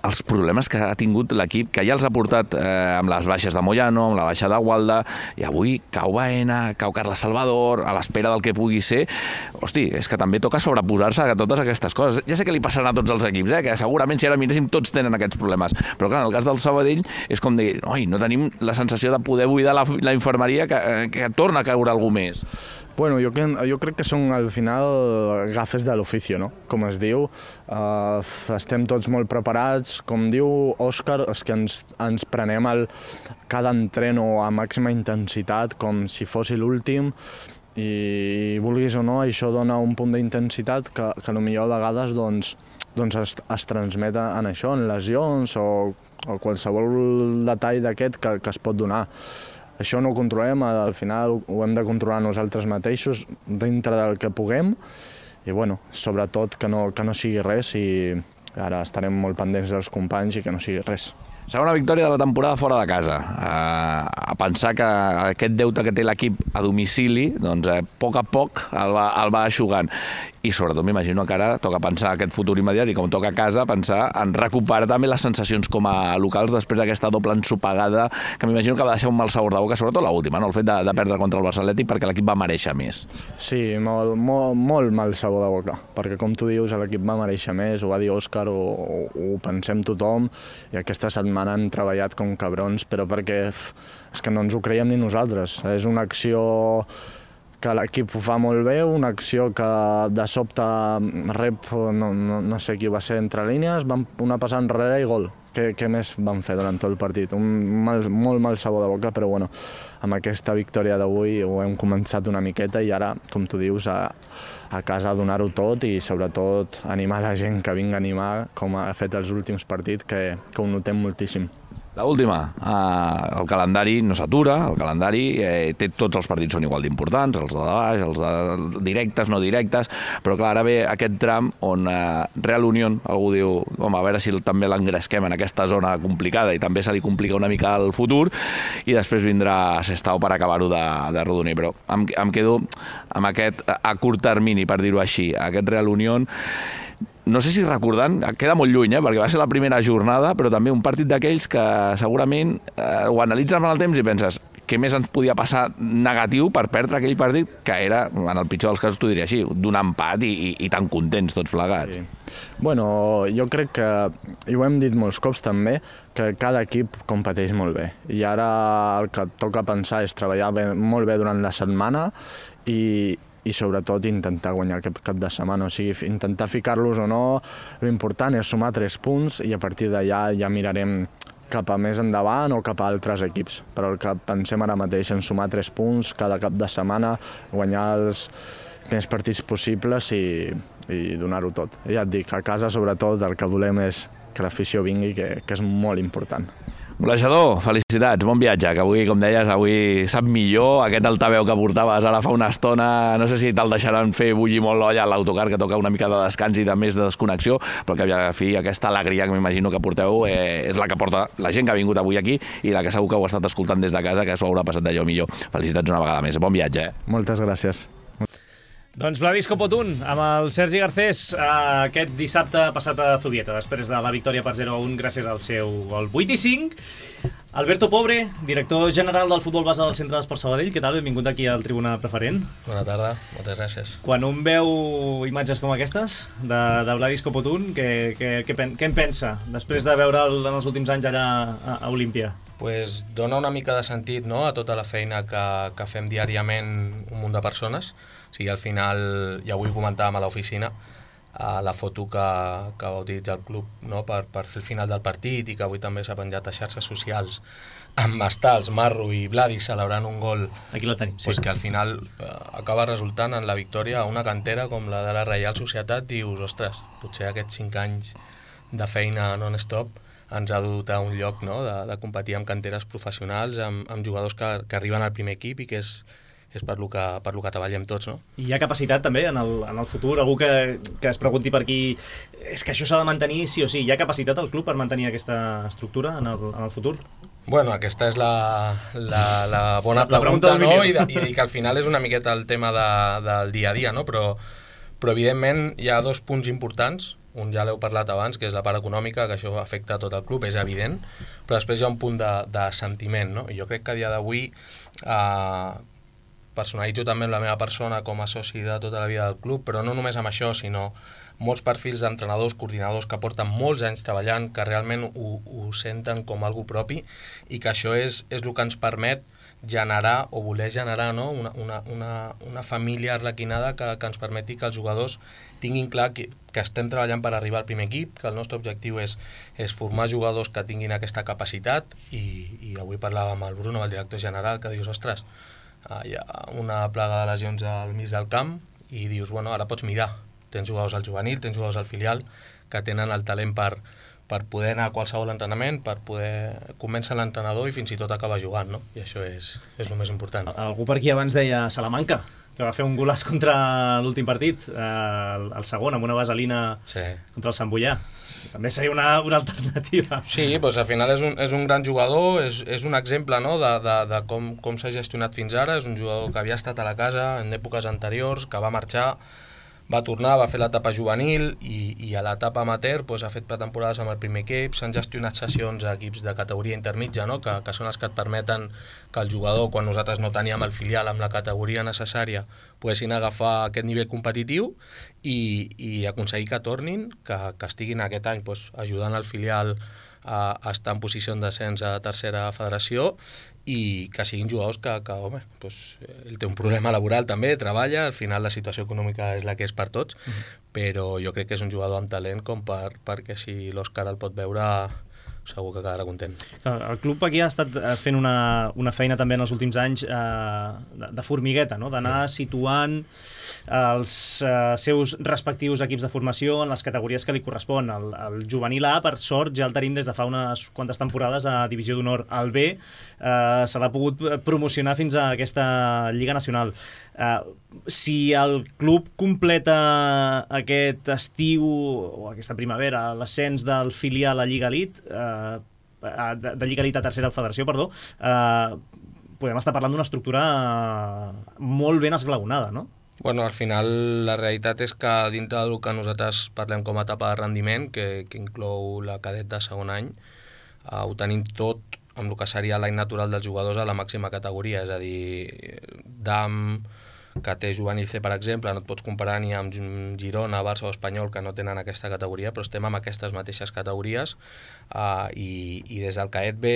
els problemes que ha tingut l'equip, que ja els ha portat eh, amb les baixes de Moyano, amb la baixa de Gualda, i avui cau Baena, cau Carles Salvador, a l'espera del que pugui ser. Hosti, és que també toca sobreposar-se a totes aquestes coses. Ja sé que li passaran a tots els equips, eh, que segurament si ara miréssim tots tenen aquests problemes, però clar, en el cas del Sabadell és com dir, oi, no tenim la sensació de poder buidar la, la infermeria que, que torna a caure algú més. Bueno, jo, jo crec que són al final gafes de l'ofici, no? Com es diu, uh, estem tots molt preparats, com diu Òscar, és que ens, ens prenem el, cada entreno a màxima intensitat com si fos l'últim i vulguis o no, això dona un punt d'intensitat que, que potser a vegades doncs, doncs es, es transmet en això, en lesions o, o qualsevol detall d'aquest que, que es pot donar. Això no ho controlem, al final ho hem de controlar nosaltres mateixos dintre del que puguem i bueno, sobretot que no, que no sigui res i ara estarem molt pendents dels companys i que no sigui res. Segona victòria de la temporada fora de casa. Uh, a pensar que aquest deute que té l'equip a domicili, doncs a poc a poc el va, el va eixugant. I sobretot m'imagino que ara toca pensar aquest futur immediat i com toca a casa pensar en recuperar també les sensacions com a locals després d'aquesta doble ensopegada que m'imagino que va deixar un mal sabor de boca, sobretot l'última, no? El fet de, de perdre contra el Barça Atlètic perquè l'equip va mereixer més. Sí, molt, molt, molt mal sabor de boca, perquè com tu dius l'equip va mereixer més, ho va dir Òscar, ho, ho, ho pensem tothom i aquesta setmana han treballat com cabrons, però perquè és que no ens ho creiem ni nosaltres. És una acció que l'equip ho fa molt bé, una acció que de sobte rep, no, no, no sé qui va ser entre línies, van una passada enrere i gol. Què, què més van fer durant tot el partit? Un mal, molt mal sabor de boca, però bueno, amb aquesta victòria d'avui ho hem començat una miqueta i ara, com tu dius, a, a casa a donar-ho tot i sobretot animar la gent que vingui a animar, com ha fet els últims partits, que, que ho notem moltíssim. L'última, eh, el calendari no s'atura, el calendari eh, té tots els partits són igual d'importants, els de baix, els de directes, no directes, però clar, ara ve aquest tram on eh, Real Unión, algú diu, home, a veure si també l'engresquem en aquesta zona complicada i també se li complica una mica el futur, i després vindrà Sestao per acabar-ho de, de rodonir, però em, em quedo amb aquest, a curt termini, per dir-ho així, aquest Real Unión. No sé si recordant, queda molt lluny, eh, perquè va ser la primera jornada, però també un partit d'aquells que segurament eh, ho analitzes amb el temps i penses què més ens podia passar negatiu per perdre aquell partit, que era, en el pitjor dels casos, t'ho diria així, d'un empat i, i, i tan contents tots plegats. Sí. Bueno, jo crec que, i ho hem dit molts cops també, que cada equip competeix molt bé. I ara el que toca pensar és treballar bé, molt bé durant la setmana i, i sobretot intentar guanyar aquest cap de setmana, o sigui, intentar ficar-los o no, l'important és sumar tres punts i a partir d'allà ja mirarem cap a més endavant o cap a altres equips, però el que pensem ara mateix en sumar tres punts cada cap de setmana, guanyar els més partits possibles i, i donar-ho tot. I ja et dic, a casa sobretot el que volem és que l'afició vingui, que, que és molt important. Golejador, felicitats, bon viatge, que avui, com deies, avui sap millor. Aquest altaveu que portaves ara fa una estona, no sé si te'l deixaran fer bullir molt l'olla a l'autocar, que toca una mica de descans i de més de desconnexió, però que a fi aquesta alegria que m'imagino que porteu eh, és la que porta la gent que ha vingut avui aquí i la que segur que ho ha estat escoltant des de casa, que s'ho haurà passat d'allò millor. Felicitats una vegada més, bon viatge. Eh? Moltes gràcies. Doncs Vladisco Potún, amb el Sergi Garcés, aquest dissabte passat a Zubieta, després de la victòria per zero a un gràcies al seu gol. vuit i cinc. Alberto Pobre, director general del futbol base del Centre d'Esport Sabadell, què tal? Benvingut aquí al Tribuna Preferent. Bona tarda, moltes gràcies. Quan un veu imatges com aquestes de, de Vladisco Potún, què, què, què, què en pensa després de veure'l en els últims anys allà a, a Olímpia? Pues dona una mica de sentit, no?, a tota la feina que, que fem diàriament un munt de persones. O sigui, al final, ja avui comentàvem a l'oficina, a la foto que, que va utilitzar el club, no?, per, per fer el final del partit i que avui també s'ha penjat a xarxes socials amb Mastals, Marro i Vladi celebrant un gol. Aquí la tenim, sí. Pues que al final eh, acaba resultant en la victòria a una cantera com la de la Reial Societat. Dius, ostres, potser aquests cinc anys de feina non-stop ens ha dut a un lloc, no?, de, de competir amb canteres professionals, amb, amb jugadors que, que arriben al primer equip i que és és per lo que, per lo que treballem tots, no? I hi ha capacitat també en el, en el futur, algú que, que es pregunti per aquí, és que això s'ha de mantenir sí o sí, hi ha capacitat al club per mantenir aquesta estructura en el, en el futur? Bueno, aquesta és la, la, la bona la, pregunta, la no? I, de, i que al final és una miqueta el tema de, del dia a dia, no? Però, però evidentment hi ha dos punts importants. Un ja l'heu parlat abans, que és la part econòmica, que això afecta tot el club, és evident, però després hi ha un punt de, de sentiment, no? I jo crec que a dia d'avui eh, personalitzo també amb la meva persona com a soci de tota la vida del club, però no només amb això, sinó molts perfils d'entrenadors, coordinadors que porten molts anys treballant, que realment ho, ho senten com algo propi i que això és, és el que ens permet generar o voler generar, no?, una, una, una, una família arlequinada que, que ens permeti que els jugadors tinguin clar que, que estem treballant per arribar al primer equip, que el nostre objectiu és, és formar jugadors que tinguin aquesta capacitat i, i avui parlava amb el Bruno, el director general, que dius, ostres, hi ha una plaga de lesions al mig del camp i dius, bueno, ara pots mirar, tens jugadors al juvenil, tens jugadors al filial que tenen el talent per, per poder anar a qualsevol entrenament, per poder convèncer l'entrenador i fins i tot acabar jugant, no? I això és, és el més important. Algú per aquí abans deia Salamanca, que va fer un golaç contra l'últim partit, eh, el, el segon, amb una vaselina sí. contra el Sant Boià. També seria una, una alternativa. Sí, doncs al final és un, és un gran jugador, és, és un exemple, no?, de, de, de com, com s'ha gestionat fins ara. És un jugador que havia estat a la casa en èpoques anteriors, que va marxar, va tornar, va fer l'etapa juvenil i, i a l'etapa amateur doncs, ha fet pretemporades amb el primer equip, s'han gestionat sessions a equips de categoria intermitja, no?, que, que són els que et permeten que el jugador, quan nosaltres no teníem el filial amb la categoria necessària, poguessin agafar aquest nivell competitiu i, i aconseguir que tornin, que, que estiguin aquest any doncs, ajudant el filial a, a estar en posició d'ascens a tercera federació i que siguin jugadors que, que home, doncs, ell té un problema laboral també, treballa, al final la situació econòmica és la que és per tots, uh-huh. però jo crec que és un jugador amb talent com per, perquè si l'Òscar el pot veure segur que quedarà content. El club aquí ha estat fent una, una feina també en els últims anys eh, de, de formigueta, no?, d'anar sí. situant els eh, seus respectius equips de formació en les categories que li correspon. El, el juvenil A, per sort, ja el tenim des de fa unes quantes temporades a Divisió d'Honor. El B eh, se l'ha pogut promocionar fins a aquesta Lliga Nacional. Eh, si el club completa aquest estiu o aquesta primavera l'ascens del filial a Lliga Elite, eh, de, de Lliga Elite a tercera federació, perdó, eh, podem estar parlant d'una estructura molt ben esglaonada, no? Bueno, al final la realitat és que dintre del que nosaltres parlem com a etapa de rendiment, que, que inclou la cadet de segon any, eh, ho tenim tot amb el que seria l'any natural dels jugadors a la màxima categoria, és a dir, D A M, que té juvenil C, per exemple, no et pots comparar ni amb Girona, Barça o Espanyol, que no tenen aquesta categoria, però estem amb aquestes mateixes categories uh, i, i des del cadet B,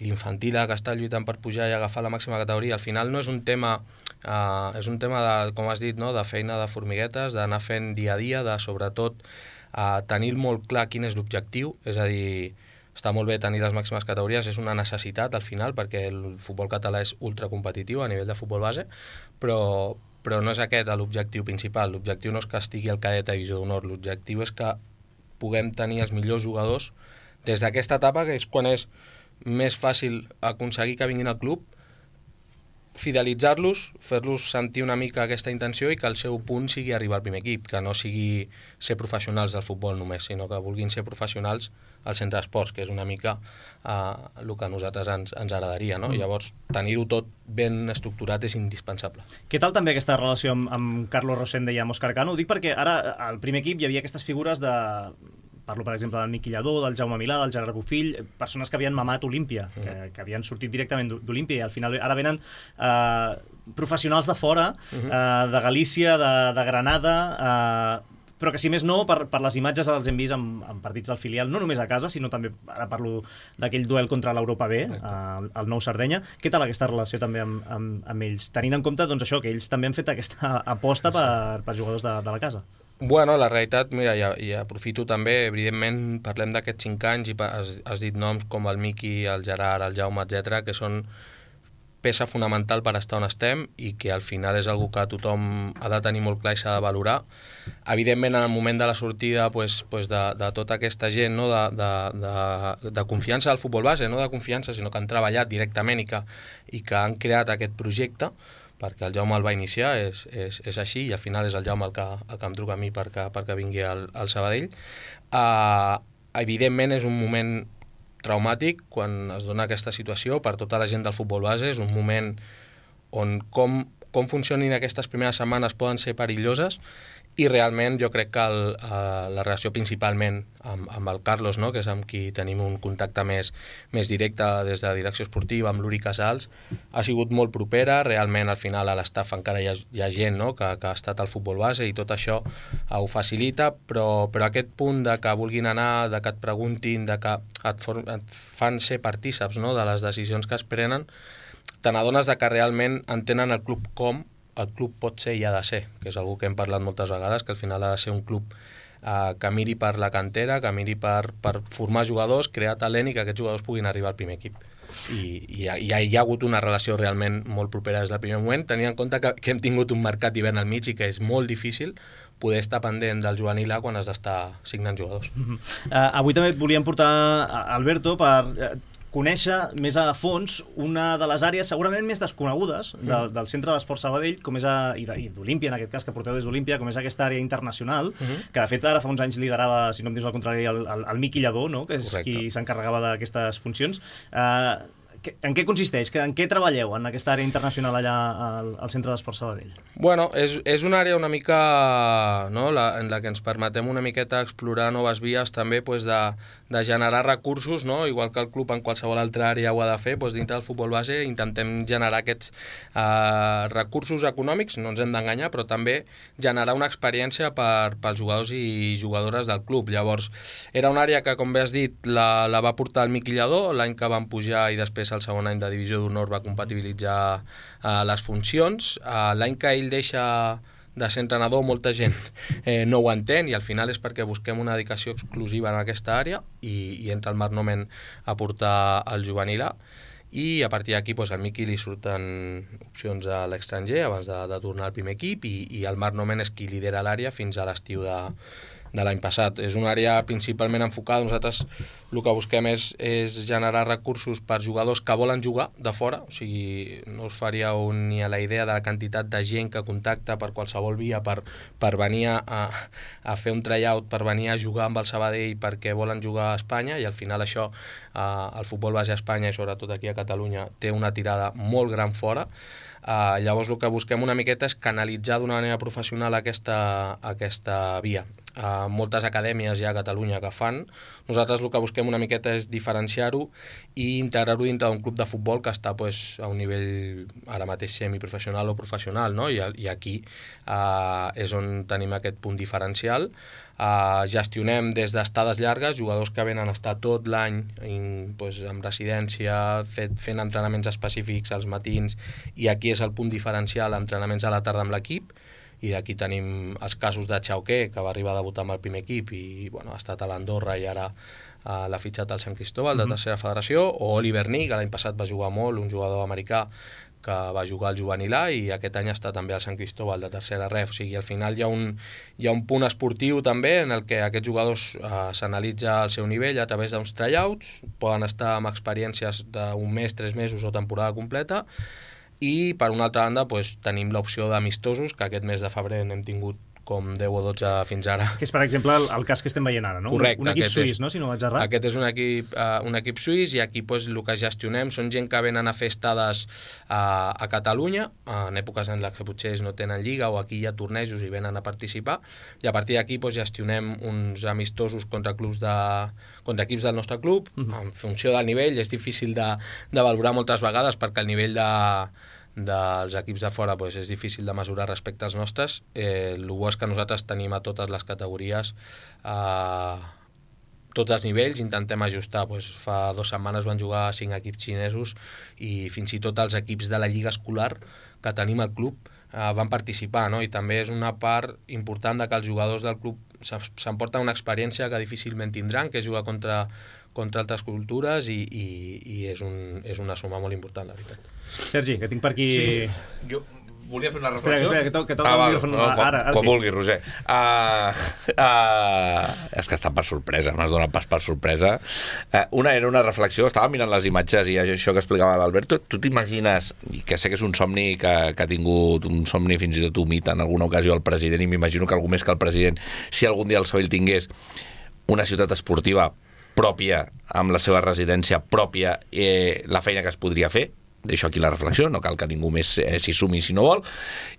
l'infantil A, que està lluitant per pujar i agafar la màxima categoria, al final no és un tema, uh, és un tema de, com has dit, no?, de feina de formiguetes, d'anar fent dia a dia, de sobretot uh, tenir molt clar quin és l'objectiu, és a dir, està molt bé tenir les màximes categories, és una necessitat al final perquè el futbol català és ultracompetitiu a nivell de futbol base, però, però no és aquest l'objectiu principal. L'objectiu no és que estigui el cadet a Divisió d'Honor, l'objectiu és que puguem tenir els millors jugadors des d'aquesta etapa, que és quan és més fàcil aconseguir que vinguin al club, fidelitzar-los, fer-los sentir una mica aquesta intenció i que el seu punt sigui arribar al primer equip, que no sigui ser professionals del futbol només, sinó que vulguin ser professionals al centre d'esports, que és una mica uh, el que a nosaltres ens, ens agradaria, no? Mm. Llavors, tenir-ho tot ben estructurat és indispensable. Què tal també aquesta relació amb, amb Carlos Rosende i amb Òscar Cano? Ho dic perquè ara al primer equip hi havia aquestes figures de... Parlo, per exemple, del Miqui Lladó, del Jaume Milà, del Gerard Bofill, persones que havien mamat Olímpia, mm. que, que havien sortit directament d'Olímpia i al final ara venen eh, professionals de fora, mm-hmm. eh, de Galícia, de, de Granada, eh, però que si més no, per, per les imatges els hem vist en, en partits del filial, no només a casa, sinó també, ara parlo d'aquell duel contra l'Europa B, eh, el Nou Sardenya. Què tal aquesta relació també amb, amb, amb ells? Tenint en compte doncs, això, que ells també han fet aquesta aposta per, per jugadors de, de la casa. Bueno, la realitat, mira, i, i aprofito també, evidentment, parlem d'aquests cinc anys i has, has dit noms com el Miqui, el Gerard, el Jaume, etcètera, que són peça fonamental per estar on estem i que al final és algo que tothom ha de tenir molt clar i s'ha de valorar. Evidentment, en el moment de la sortida pues, pues de, de tota aquesta gent, no? de, de, de, de confiança al futbol base, no de confiança, sinó que han treballat directament i que, i que han creat aquest projecte, perquè el Jaume el va iniciar, és, és, és així, i al final és el Jaume el que, el que em truca a mi perquè, perquè vingui al, al Sabadell. Uh, evidentment és un moment traumàtic quan es dona aquesta situació per tota la gent del futbol base, és un moment on com, com funcionin aquestes primeres setmanes poden ser perilloses i realment jo crec que el, uh, la relació principalment amb, amb el Carlos, no? Que és amb qui tenim un contacte més, més directe des de la direcció esportiva, amb l'Uri Casals, ha sigut molt propera, realment al final a l'estaf encara hi ha, hi ha gent, no? que, que ha estat al futbol base i tot això uh, ho facilita, però, però aquest punt de que vulguin anar, de que et preguntin, de que et, for, et fan ser partíceps, no? De les decisions que es prenen, te n'adones de que realment entenen el club com el club pot ser i ha de ser, que és algo que hem parlat moltes vegades, que al final ha de ser un club eh, que miri per la cantera, que miri per, per formar jugadors, crear talent i que aquests jugadors puguin arribar al primer equip. I, i, i hi ha hagut una relació realment molt propera des del primer moment, tenint en compte que, que hem tingut un mercat d'hivern al mig i que és molt difícil poder estar pendent del juvenil A quan has d'estar signant jugadors. Uh, avui també volíem portar Alberto per uh, conèixer més a fons una de les àrees segurament més desconegudes del, del Centre d'Esport Sabadell, com és a, i d'Olímpia, en aquest cas, que porteu des d'Olímpia, com és aquesta àrea internacional, uh-huh. que de fet ara fa uns anys liderava, si no em dius el contrari, el, el, el Miqui Lladó, no? Que és Correcte. Qui s'encarregava d'aquestes funcions. Uh, En què consisteix? En què treballeu en aquesta àrea internacional allà al, al Centre d'Esport Sabadell? Bueno, és, és una àrea una mica, no, la, en la que ens permetem una miqueta explorar noves vies també pues, de, de generar recursos, no? Igual que el club en qualsevol altra àrea ho ha de fer, doncs dintre del futbol base intentem generar aquests eh, recursos econòmics, no ens hem d'enganyar, però també generar una experiència per, pels jugadors i jugadores del club. Llavors, era una àrea que, com bé has dit, la, la va portar el Miqui Lladó l'any que van pujar i després el segon any de divisió d'honor va compatibilitzar uh, les funcions. Uh, l'any que ell deixa de ser entrenador, molta gent eh, no ho entén, i al final és perquè busquem una dedicació exclusiva en aquesta àrea i, i entra el Marc Nomen a portar el juvenil A, i a partir d'aquí pues, al Miqui li surten opcions a l'estranger abans de, de tornar al primer equip, i, i el Marc Nomen és qui lidera l'àrea fins a l'estiu de de l'any passat. És una àrea principalment enfocada, nosaltres el que busquem és, és generar recursos per jugadors que volen jugar de fora, o sigui, no us faríeu ni a la idea de la quantitat de gent que contacta per qualsevol via per, per venir a, a fer un tryout, per venir a jugar amb el Sabadell perquè volen jugar a Espanya, i al final això, eh, el futbol base a Espanya i sobretot aquí a Catalunya té una tirada molt gran fora. Uh, llavors el que busquem una miqueta és canalitzar d'una manera professional aquesta, aquesta via. Uh, moltes acadèmies hi ha a Catalunya que fan. Nosaltres el que busquem una miqueta és diferenciar-ho i integrar-ho dintre d'un club de futbol que està pues, a un nivell ara mateix semiprofessional o professional, no? I, i aquí uh, és on tenim aquest punt diferencial. Uh, gestionem des d'estades llargues, jugadors que venen a estar tot l'any pues, en residència, fet, fent entrenaments específics als matins, i aquí és el punt diferencial, entrenaments a la tarda amb l'equip, i d'aquí tenim els casos de Chauqué, que va arribar a debutar amb el primer equip i bueno, ha estat a l'Andorra i ara uh, l'ha fitxat al Sant Cristóbal, de tercera federació, o Oliver Nee, que l'any passat va jugar molt, un jugador americà que va jugar al juvenil A i aquest any està també al Sant Cristóbal de tercera ref. O sigui, al final hi ha un, hi ha un punt esportiu també en el que aquests jugadors eh, s'analitza el seu nivell a través d'uns tryouts, poden estar amb experiències d'un mes, tres mesos o temporada completa, i per una altra banda pues, tenim l'opció d'amistosos, que aquest mes de febrer n'hem tingut com deu o dotze fins ara. Que és, per exemple, el, el cas que estem veient ara, no? Correcte. Un, un equip suís, és, no? Si no vaig errar. Aquest és un equip, uh, un equip suís, i aquí pues, el que gestionem són gent que venen a fer estades uh, a Catalunya, uh, en èpoques en les que potser no tenen lliga o aquí hi ha tornejos i venen a participar, i a partir d'aquí pues, gestionem uns amistosos contra clubs de, contra equips del nostre club, uh-huh. En funció del nivell. És difícil de, de valorar moltes vegades perquè el nivell de dels equips de fora pues, és difícil de mesurar respecte als nostres. Eh, el bo és que nosaltres tenim a totes les categories, a tots els nivells, intentem ajustar. Pues, fa dues setmanes van jugar cinc equips xinesos i fins i tot els equips de la lliga escolar que tenim al club eh, van participar, no? I també és una part important de que els jugadors del club s'emporten una experiència que difícilment tindran, que és jugar contra contra altres cultures, i, i, i és, un, és una suma molt important, la veritat. Sergi, que tinc per aquí... Sí, jo volia fer una reflexió. Espera, espera, que toca to, to, ah, no, no, quan, ara, ara quan sí. vulguis, Roser. Uh, uh, és que està per sorpresa, m'has donat pas per sorpresa. Uh, una era una reflexió, estava mirant les imatges i això que explicava l'Alberto. Tu t'imagines, i que sé que és un somni que, que ha tingut un somni fins i tot humit en alguna ocasió el president, i m'imagino que algú més que el president, si algun dia el Sabadell tingués una ciutat esportiva pròpia, amb la seva residència pròpia, eh, la feina que es podria fer. Deixo aquí la reflexió, no cal que ningú més eh, s'hi sumi si no vol.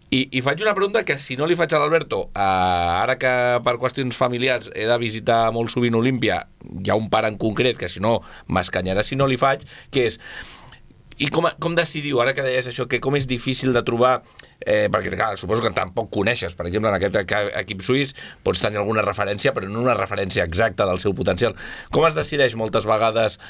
I, I faig una pregunta que si no li faig a l'Alberto, eh, ara que per qüestions familiars he de visitar molt sovint Olímpia, hi ha un pare en concret que si no m'escanyarà si no li faig, que és... I com, com decidiu, ara que deies això, que com és difícil de trobar, eh, perquè clar, suposo que tampoc coneixes, per exemple, en aquest equip suís pots tenir alguna referència, però no una referència exacta del seu potencial. Com es decideix moltes vegades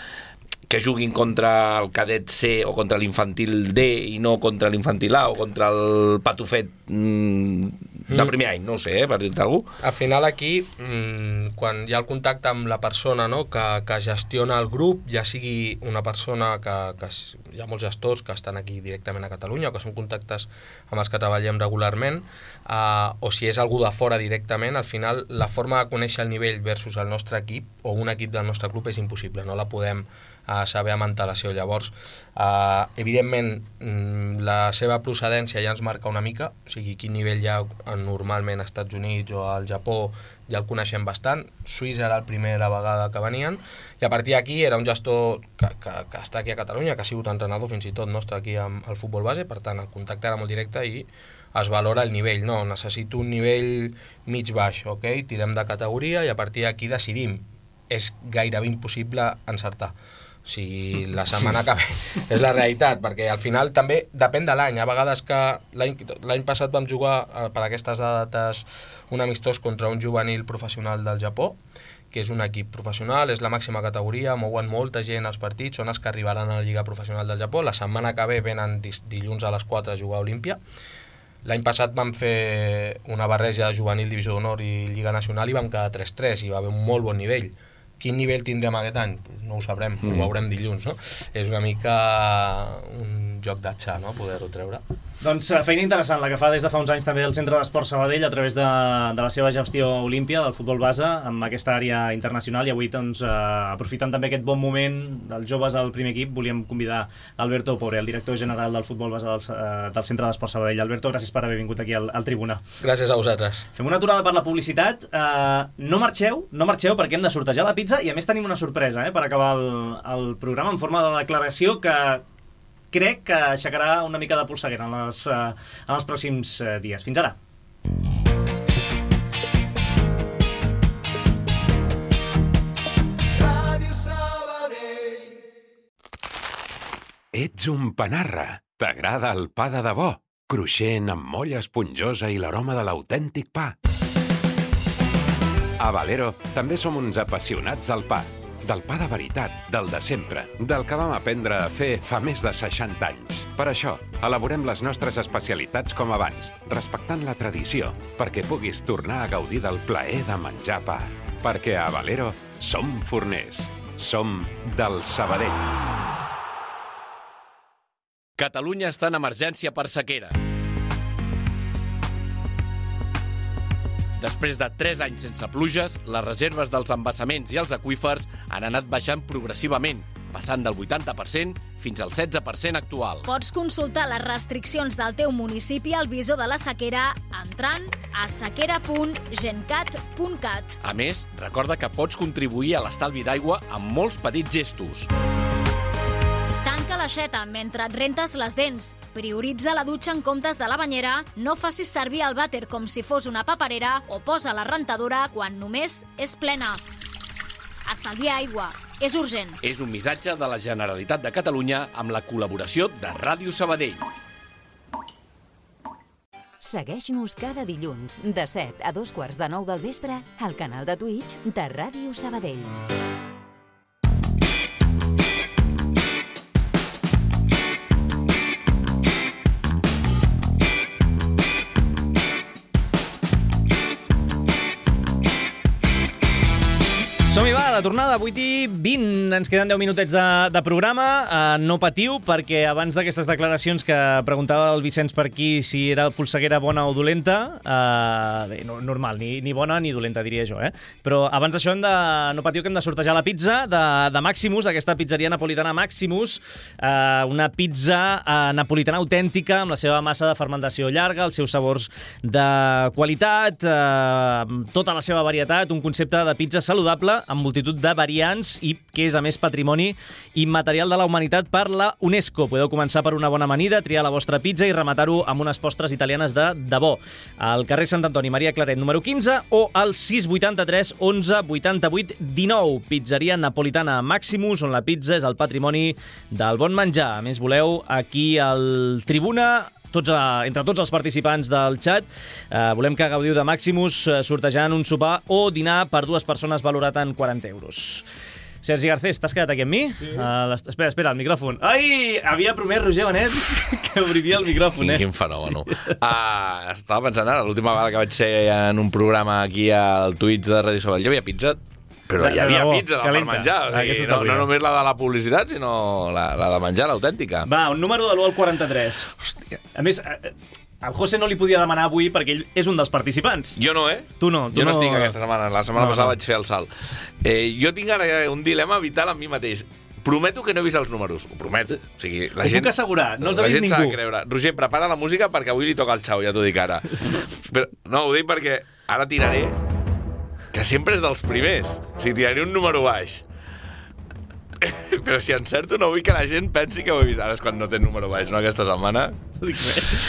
que juguin contra el cadet C o contra l'infantil D i no contra l'infantil A o contra el patufet mm, de primer any, no ho sé, eh, per dir-te alguna cosa? Al final aquí, mmm, quan hi ha el contacte amb la persona, no, que, que gestiona el grup, ja sigui una persona que, que hi ha molts gestors que estan aquí directament a Catalunya o que són contactes amb els que treballem regularment, uh, o si és algú de fora directament, al final la forma de conèixer el nivell versus el nostre equip o un equip del nostre club és impossible, no la podem uh, saber amb antelació. Llavors, uh, evidentment, la seva procedència ja ens marca una mica, o sigui, quin nivell hi ha normalment als Estats Units o al Japó, ja el coneixem bastant. Suïssa era la primera vegada que venien, i a partir d'aquí era un gestor que, que, que està aquí a Catalunya, que ha sigut entrenador fins i tot nostre aquí al futbol base, per tant el contacte era molt directe i es valora el nivell. No, necessito un nivell mig-baix, ok? Tirem de categoria i a partir d'aquí decidim. És gairebé impossible encertar. O sigui, la setmana que ve és la realitat, perquè al final també depèn de l'any. A vegades que l'any passat vam jugar per aquestes dates un amistós contra un juvenil professional del Japó, que és un equip professional, és la màxima categoria, mouen molta gent als partits, són els que arribaran a la Lliga Professional del Japó. La setmana que ve venen dilluns a les quatre a jugar a Olímpia. L'any passat vam fer una barreja de juvenil, divisió d'honor i Lliga Nacional i vam quedar tres tres i va haver un molt bon nivell. Quin nivell tindrem aquest any? No ho sabrem, mm. ho veurem dilluns, no? És una mica un joc d'atxa, no?, poder-ho treure. Doncs feina interessant la que fa des de fa uns anys també el Centre d'Esport Sabadell a través de, de la seva gestió Olímpia del futbol base amb aquesta àrea internacional, i avui doncs, eh, aprofitant també aquest bon moment dels joves al primer equip, volíem convidar Alberto Pobre, el director general del futbol base del, eh, del Centre d'Esport Sabadell. Alberto, gràcies per haver vingut aquí al, al Tribuna. Gràcies a vosaltres. Fem una aturada per la publicitat. Eh, no marxeu, no marxeu perquè hem de sortejar la pizza i a més tenim una sorpresa eh, per acabar el, el programa en forma de declaració que crec que aixecarà una mica de polseguera en, les, uh, en els pròxims uh, dies. Fins ara. Ràdio Sabadell. Ets un panarra. T'agrada el pa de debò? Cruixent, amb molla esponjosa i l'aroma de l'autèntic pa. A Valero també som uns apassionats del pa. Del pa de veritat, del de sempre, del que vam aprendre a fer fa més de seixanta anys. Per això, elaborem les nostres especialitats com abans, respectant la tradició, perquè puguis tornar a gaudir del plaer de menjar pa. Perquè a Valero som forners, som del Sabadell. Catalunya està en emergència per sequera. Després de tres anys sense pluges, les reserves dels embassaments i els aqüífers han anat baixant progressivament, passant del vuitanta per cent fins al setze per cent actual. Pots consultar les restriccions del teu municipi al visor de la sequera entrant a sequera punt gencat punt cat. A més, recorda que pots contribuir a l'estalvi d'aigua amb molts petits gestos. Tanca l'aixeta mentre et rentes les dents. Prioritza la dutxa en comptes de la banyera, no facis servir el vàter com si fos una paperera o posa la rentadora quan només és plena. Estalvia aigua. És urgent. És un missatge de la Generalitat de Catalunya amb la col·laboració de Ràdio Sabadell. Segueix-nos cada dilluns de set a dos quarts de nou del vespre al canal de Twitch de Ràdio Sabadell. Som-hi, va, la tornada, vuit i vint. Ens queden deu minutets de, de programa. Uh, no patiu, perquè abans d'aquestes declaracions que preguntava el Vicenç per aquí si era polseguera bona o dolenta, uh, bé, no, normal, ni, ni bona ni dolenta, diria jo, eh? Però abans d'això hem de, no patiu, que hem de sortejar la pizza de, de Maximus, d'aquesta pizzeria napolitana Maximus, uh, una pizza uh, napolitana autèntica, amb la seva massa de fermentació llarga, els seus sabors de qualitat, uh, tota la seva varietat, un concepte de pizza saludable, amb multitud de variants i que és, a més, patrimoni immaterial de la humanitat per la UNESCO. Podeu començar per una bona amanida, triar la vostra pizza i rematar-ho amb unes postres italianes de debò. Al carrer Sant Antoni, Maria Claret, número quinze, o al sis vuitanta-tres onze vuitanta-vuit dinou. Pizzeria napolitana Maximus, on la pizza és el patrimoni del bon menjar. A més, voleu, aquí al Tribuna, Tots, entre tots els participants del xat, eh, volem que gaudiu de Maximus eh, sortejant un sopar o dinar per dues persones valorat en quaranta euros. Sergi Garcés, t'has quedat aquí amb mi? Sí. Uh, espera, espera, el micròfon. Ai, havia promès Roger Benet que obriria el micròfon, quin, eh? Quin fenomen. Uh, estava pensant ara, l'última vegada que vaig ser en un programa aquí al Twitch de Ràdio Sabadell, hi havia pizza. Però hi havia pizza per calenta. menjar, o sigui, no, no només la de la publicitat, sinó la, la de menjar, l'autèntica. Va, un número de l'u al quaranta-tres. Hòstia. A més, al José no li podia demanar avui perquè ell és un dels participants. Jo no, eh? Tu no. Tu jo no, no estic aquesta setmana. La setmana no, passada no. vaig fer el salt. Eh, jo tinc ara un dilema vital amb mi mateix. Prometo que no he vist els números. Ho prometo. O sigui, la Ho gent, puc assegurar, no els ha la vist gent ningú. s'ha de creure. Roger, prepara la música perquè avui li toca el xau, ja t'ho dic ara. Però, no, ho dic perquè ara tiraré que sempre és dels primers. O sigui, tiraré un número baix. Però si encerto no vull que la gent pensi que ho he vist. Ara és quan no té número baix, no, aquesta setmana? No dic res.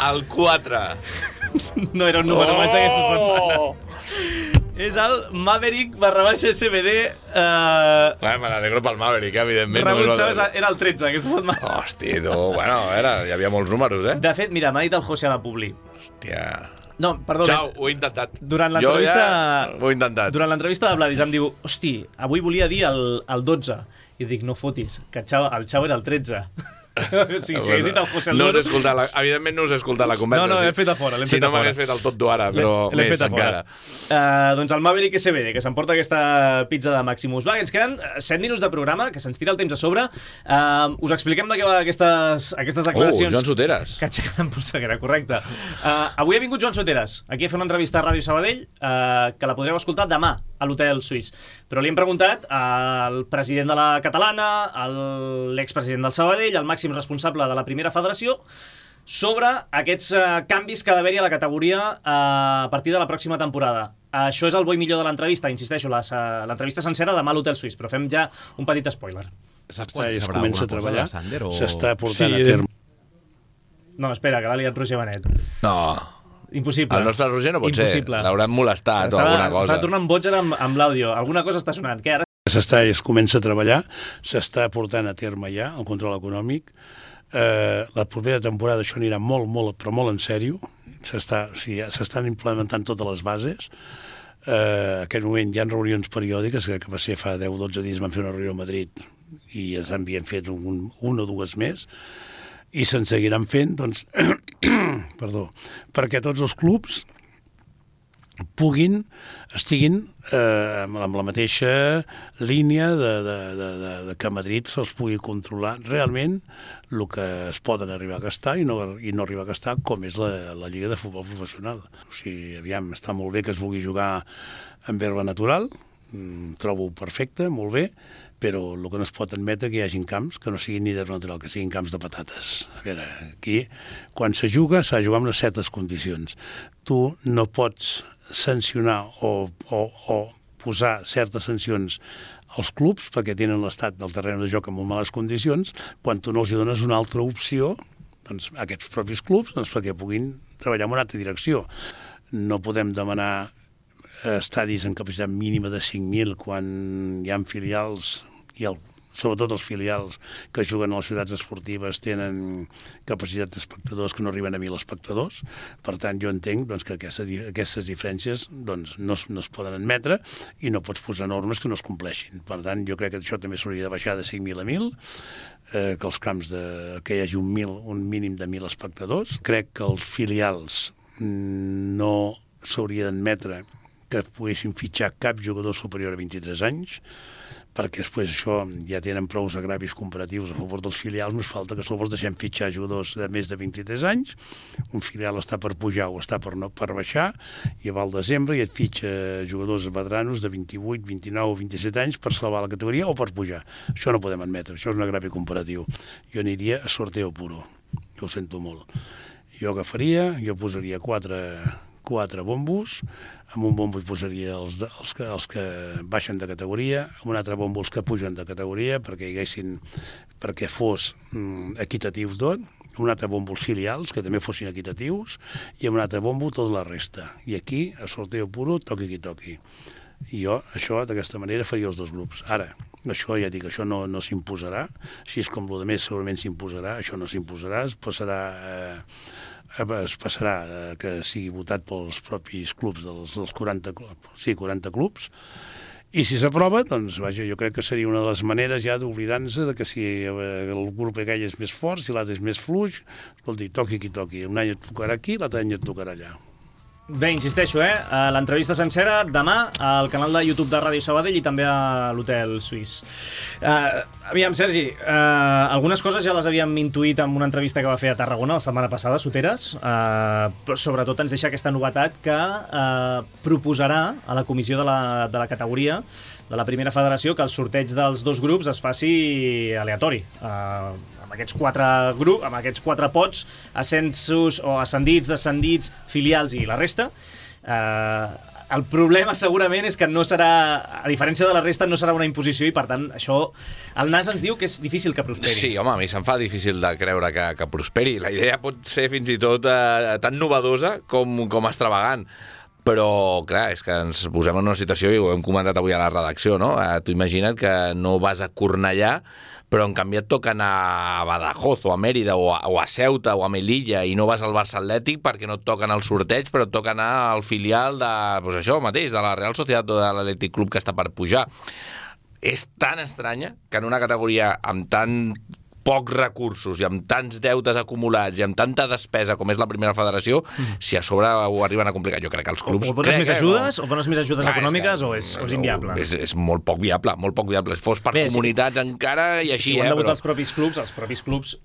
El quatre. No era un número oh! baix aquesta setmana. És el Maverick barra baixa S B D. Uh... Bueno, me n'alegro pel Maverick, evidentment. Raúl Chávez era el tretze aquesta setmana. Hòstia, tu, bueno, era, hi havia molts números, eh? De fet, mira, m'ha dit el José a la Publi. Hòstia... No, perdó. Xau, ho he intentat. Durant l'entrevista... Ja ho he intentat. Durant l'entrevista de Vladis em diu, hosti, avui volia dir el, el dotze. I dic, no fotis, que el Xau, el Xau era el tretze. O sigui, si hagués dit el José el no número... escoltat la, evidentment no us he escoltat la conversa. No, no, l'hem fet a fora. Si no m'hagués fet el tot d'ho ara, però més encara. Uh, doncs el Maverick S B D, que s'emporta aquesta pizza de Maximus. Va, ens queden set minuts de programa, que se'ns tira el temps a sobre. Uh, us expliquem de què va aquestes, aquestes declaracions. Oh, Joan Soteras. Que aixequen en polseguera, correcte. Uh, avui ha vingut Joan Soteras, aquí a fer una entrevista a Ràdio Sabadell, uh, que la podreu escoltar demà a l'Hotel Suís. Però li hem preguntat al president de la Catalana, a l'expresident del Sabadell, al màxim responsable de la primera federació, sobre aquests uh, canvis que ha d'haver-hi a la categoria uh, a partir de la pròxima temporada. Això és el bo i millor de l'entrevista, insisteixo, l'entrevista sencera demà a l'Hotel Suís, però fem ja un petit spoiler. Saps quan es comença a treballar? S'està portant sí, a terme. No, espera, que l'ha liat Roger Benet. No. Impossible. El nostre Roger no pot Impossible. ser. L'hauran molestat estava, o alguna cosa. Estava tornant boig amb, amb l'àudio. Alguna cosa està sonant. Què ara? S'està, es comença a treballar, s'està portant a terme ja el control econòmic. Eh, la propera temporada això anirà molt, molt, però molt en sèrio. S'estan o sigui, s'estan implementant totes les bases. Eh, en aquest moment hi ha reunions periòdiques, que, que va ser fa deu o dotze dies vam fer una reunió a Madrid i ja s'havien fet un, un o dues més, i se'n seguiran fent, doncs, perdó, perquè tots els clubs puguin, estiguin eh, amb la mateixa línia de, de, de, de, de que a Madrid se'ls pugui controlar realment el que es poden arribar a gastar i no, i no arribar a gastar com és la, la Lliga de Futbol Professional. O sigui, aviam, està molt bé que es vulgui jugar amb herba natural, mm, trobo perfecte, molt bé, però el que no es pot admetre que hi hagin camps que no siguin ni d'herba natural, que siguin camps de patates. A veure, aquí, quan se juga, s'ha de jugar en unes certes condicions. Tu no pots sancionar o, o, o posar certes sancions als clubs perquè tenen l'estat del terreny de joc en molt males condicions, quan tu no els dones una altra opció, doncs, a aquests propis clubs, doncs, perquè puguin treballar en una altra direcció. No podem demanar estadis en capacitat mínima de cinc mil quan hi ha filials, i el, sobretot els filials que juguen a les ciutats esportives tenen capacitat d'espectadors que no arriben a mil espectadors. Per tant, jo entenc doncs, que aquestes, aquestes diferències doncs, no, no es poden admetre i no pots posar normes que no es compleixin. Per tant, jo crec que això també s'hauria de baixar de cinc mil a mil, eh, que els camps de, que hi hagi un, mil, un mínim de mil espectadors. Crec que els filials no s'hauria d'admetre que poguessin fitxar cap jugador superior a vint-i-tres anys, perquè després això ja tenen prou agravis comparatius a favor dels filials, més falta que sols deixem fitxar jugadors de més de vint-i-tres anys, un filial està per pujar o està per, no, per baixar, i va al desembre i et fitxa jugadors veteranos de vint-i-vuit, vint-i-nou o vint-i-set anys per salvar la categoria o per pujar. Això no podem admetre, això és un agravi comparatiu. Jo aniria a sorteo puro, jo ho sento molt. Jo agafaria, jo posaria quatre... quatre bombos, amb un bombo hi posaria els, els, que, els que baixen de categoria, amb un altre bombo els que pugen de categoria, perquè hi haguessin, perquè fos mm, equitatiu tot, un altre bombo els filials, que també fossin equitatius, i amb un altre bombo tota la resta. I aquí, a sorteo puro, toqui qui toqui. I jo, això, d'aquesta manera, faria els dos grups. Ara, això ja dic, això no, no s'imposarà, així és com el de més segurament s'imposarà, això no s'imposarà, es passarà... Eh, es passarà eh, que sigui votat pels propis clubs, dels, dels quaranta, sí, quaranta clubs, i si s'aprova, doncs, vaja, jo crec que seria una de les maneres ja d'oblidar-se de que si el grup aquell és més fort, si l'altre és més fluix, escolti, toqui qui toqui, un any et tocarà aquí, l'altre any et tocarà allà. Bé, insisteixo, eh? L'entrevista sencera demà al canal de YouTube de Ràdio Sabadell i també a l'Hotel Suís. Uh, aviam, Sergi, uh, algunes coses ja les havíem intuït en una entrevista que va fer a Tarragona la setmana passada, Soteres, uh, però sobretot ens deixa aquesta novetat que uh, proposarà a la comissió de la, de la categoria de la primera federació que el sorteig dels dos grups es faci aleatori. Uh, amb aquests quatre grups, amb aquests quatre pots, ascensos o ascendits, descendits, filials i la resta. Eh, el problema segurament és que no serà, a diferència de la resta, no serà una imposició i per tant això, el N A S ens diu que és difícil que prosperi. Sí, home, a mi se'm fa difícil de creure que, que prosperi. La idea pot ser fins i tot eh, tan novedosa com, com extravagant. Però, clar, és que ens posem en una situació, i ho hem comentat avui a la redacció, no? Eh, tu imagina't que no vas a Cornellà, però en canvi et toca anar a Badajoz o a Mèrida o a, o a Ceuta o a Melilla i no vas al Barça Atlètic perquè no et toquen el sorteig, però et toca anar al filial de, pues això mateix, de la Real Societat o de l'Atlètic Club que està per pujar. És tan estranya que en una categoria amb tan pocs recursos i amb tants deutes acumulats i amb tanta despesa com és la primera federació, mm. si a sobre ho arriben a complicar. Jo crec que els clubs... O, o dones més ajudes, no. o dones més ajudes Clar, econòmiques, és que, o, és, o és inviable? És, és molt poc viable, molt poc viable. Si fos per Bé, comunitats sí. encara i sí, així, si ho han eh? de votar però... els propis clubs, els propis clubs...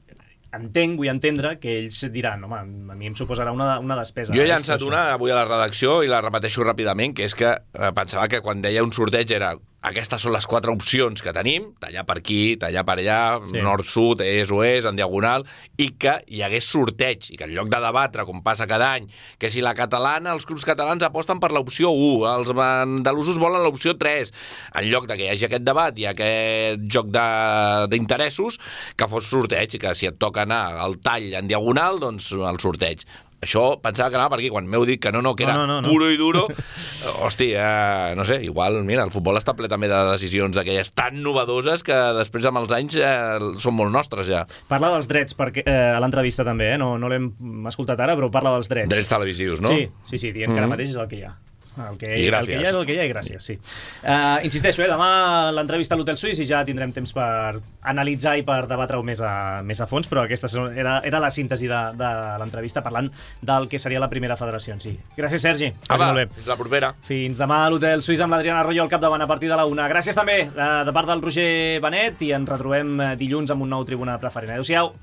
Entenc, vull entendre, que ells diran home, a mi em suposarà una, una despesa. Jo he llançat una avui a la redacció i la repeteixo ràpidament, que és que eh, pensava que quan deia un sorteig era aquestes són les quatre opcions que tenim, tallar per aquí, tallar per allà, sí. nord-sud, est-oest, en diagonal, i que hi hagués sorteig, i que en lloc de debatre, com passa cada any, que si la catalana, els clubs catalans aposten per l'opció u, els andalusos volen l'opció tres, en lloc de que hi hagi aquest debat i aquest joc d'interessos, que fos sorteig, i que si et toca anar al tall en diagonal, doncs el sorteig. Això pensava que anava per aquí, quan m'heu dit que no, no, que era no, no, no, puro i duro. Hosti, eh, no sé, igual, mira, el futbol està ple també de decisions aquelles tan novedoses que després amb els anys eh, són molt nostres ja. Parla dels drets perquè, eh, a l'entrevista també, eh? no, no l'hem escoltat ara, però parla dels drets. Drets televisius, no? Sí, sí, sí dient mm-hmm. que ara mateix és el que hi ha. El que, I gràcies. El que hi ha és el que hi ha i gràcies, sí. Uh, insisteixo, eh, demà l'entrevista a l'Hotel Suís i ja tindrem temps per analitzar i per debatre-ho més a, més a fons, però aquesta era, era la síntesi de, de l'entrevista parlant del que seria la primera federació en si. Gràcies, Sergi. Apa, fins la propera. Fins demà a l'Hotel Suís amb l'Adriana Arroyo al capdavant a partir de la una. Gràcies també de, de part del Roger Benet i ens retrobem dilluns amb un nou Tribuna Preferent. Adéu-siau.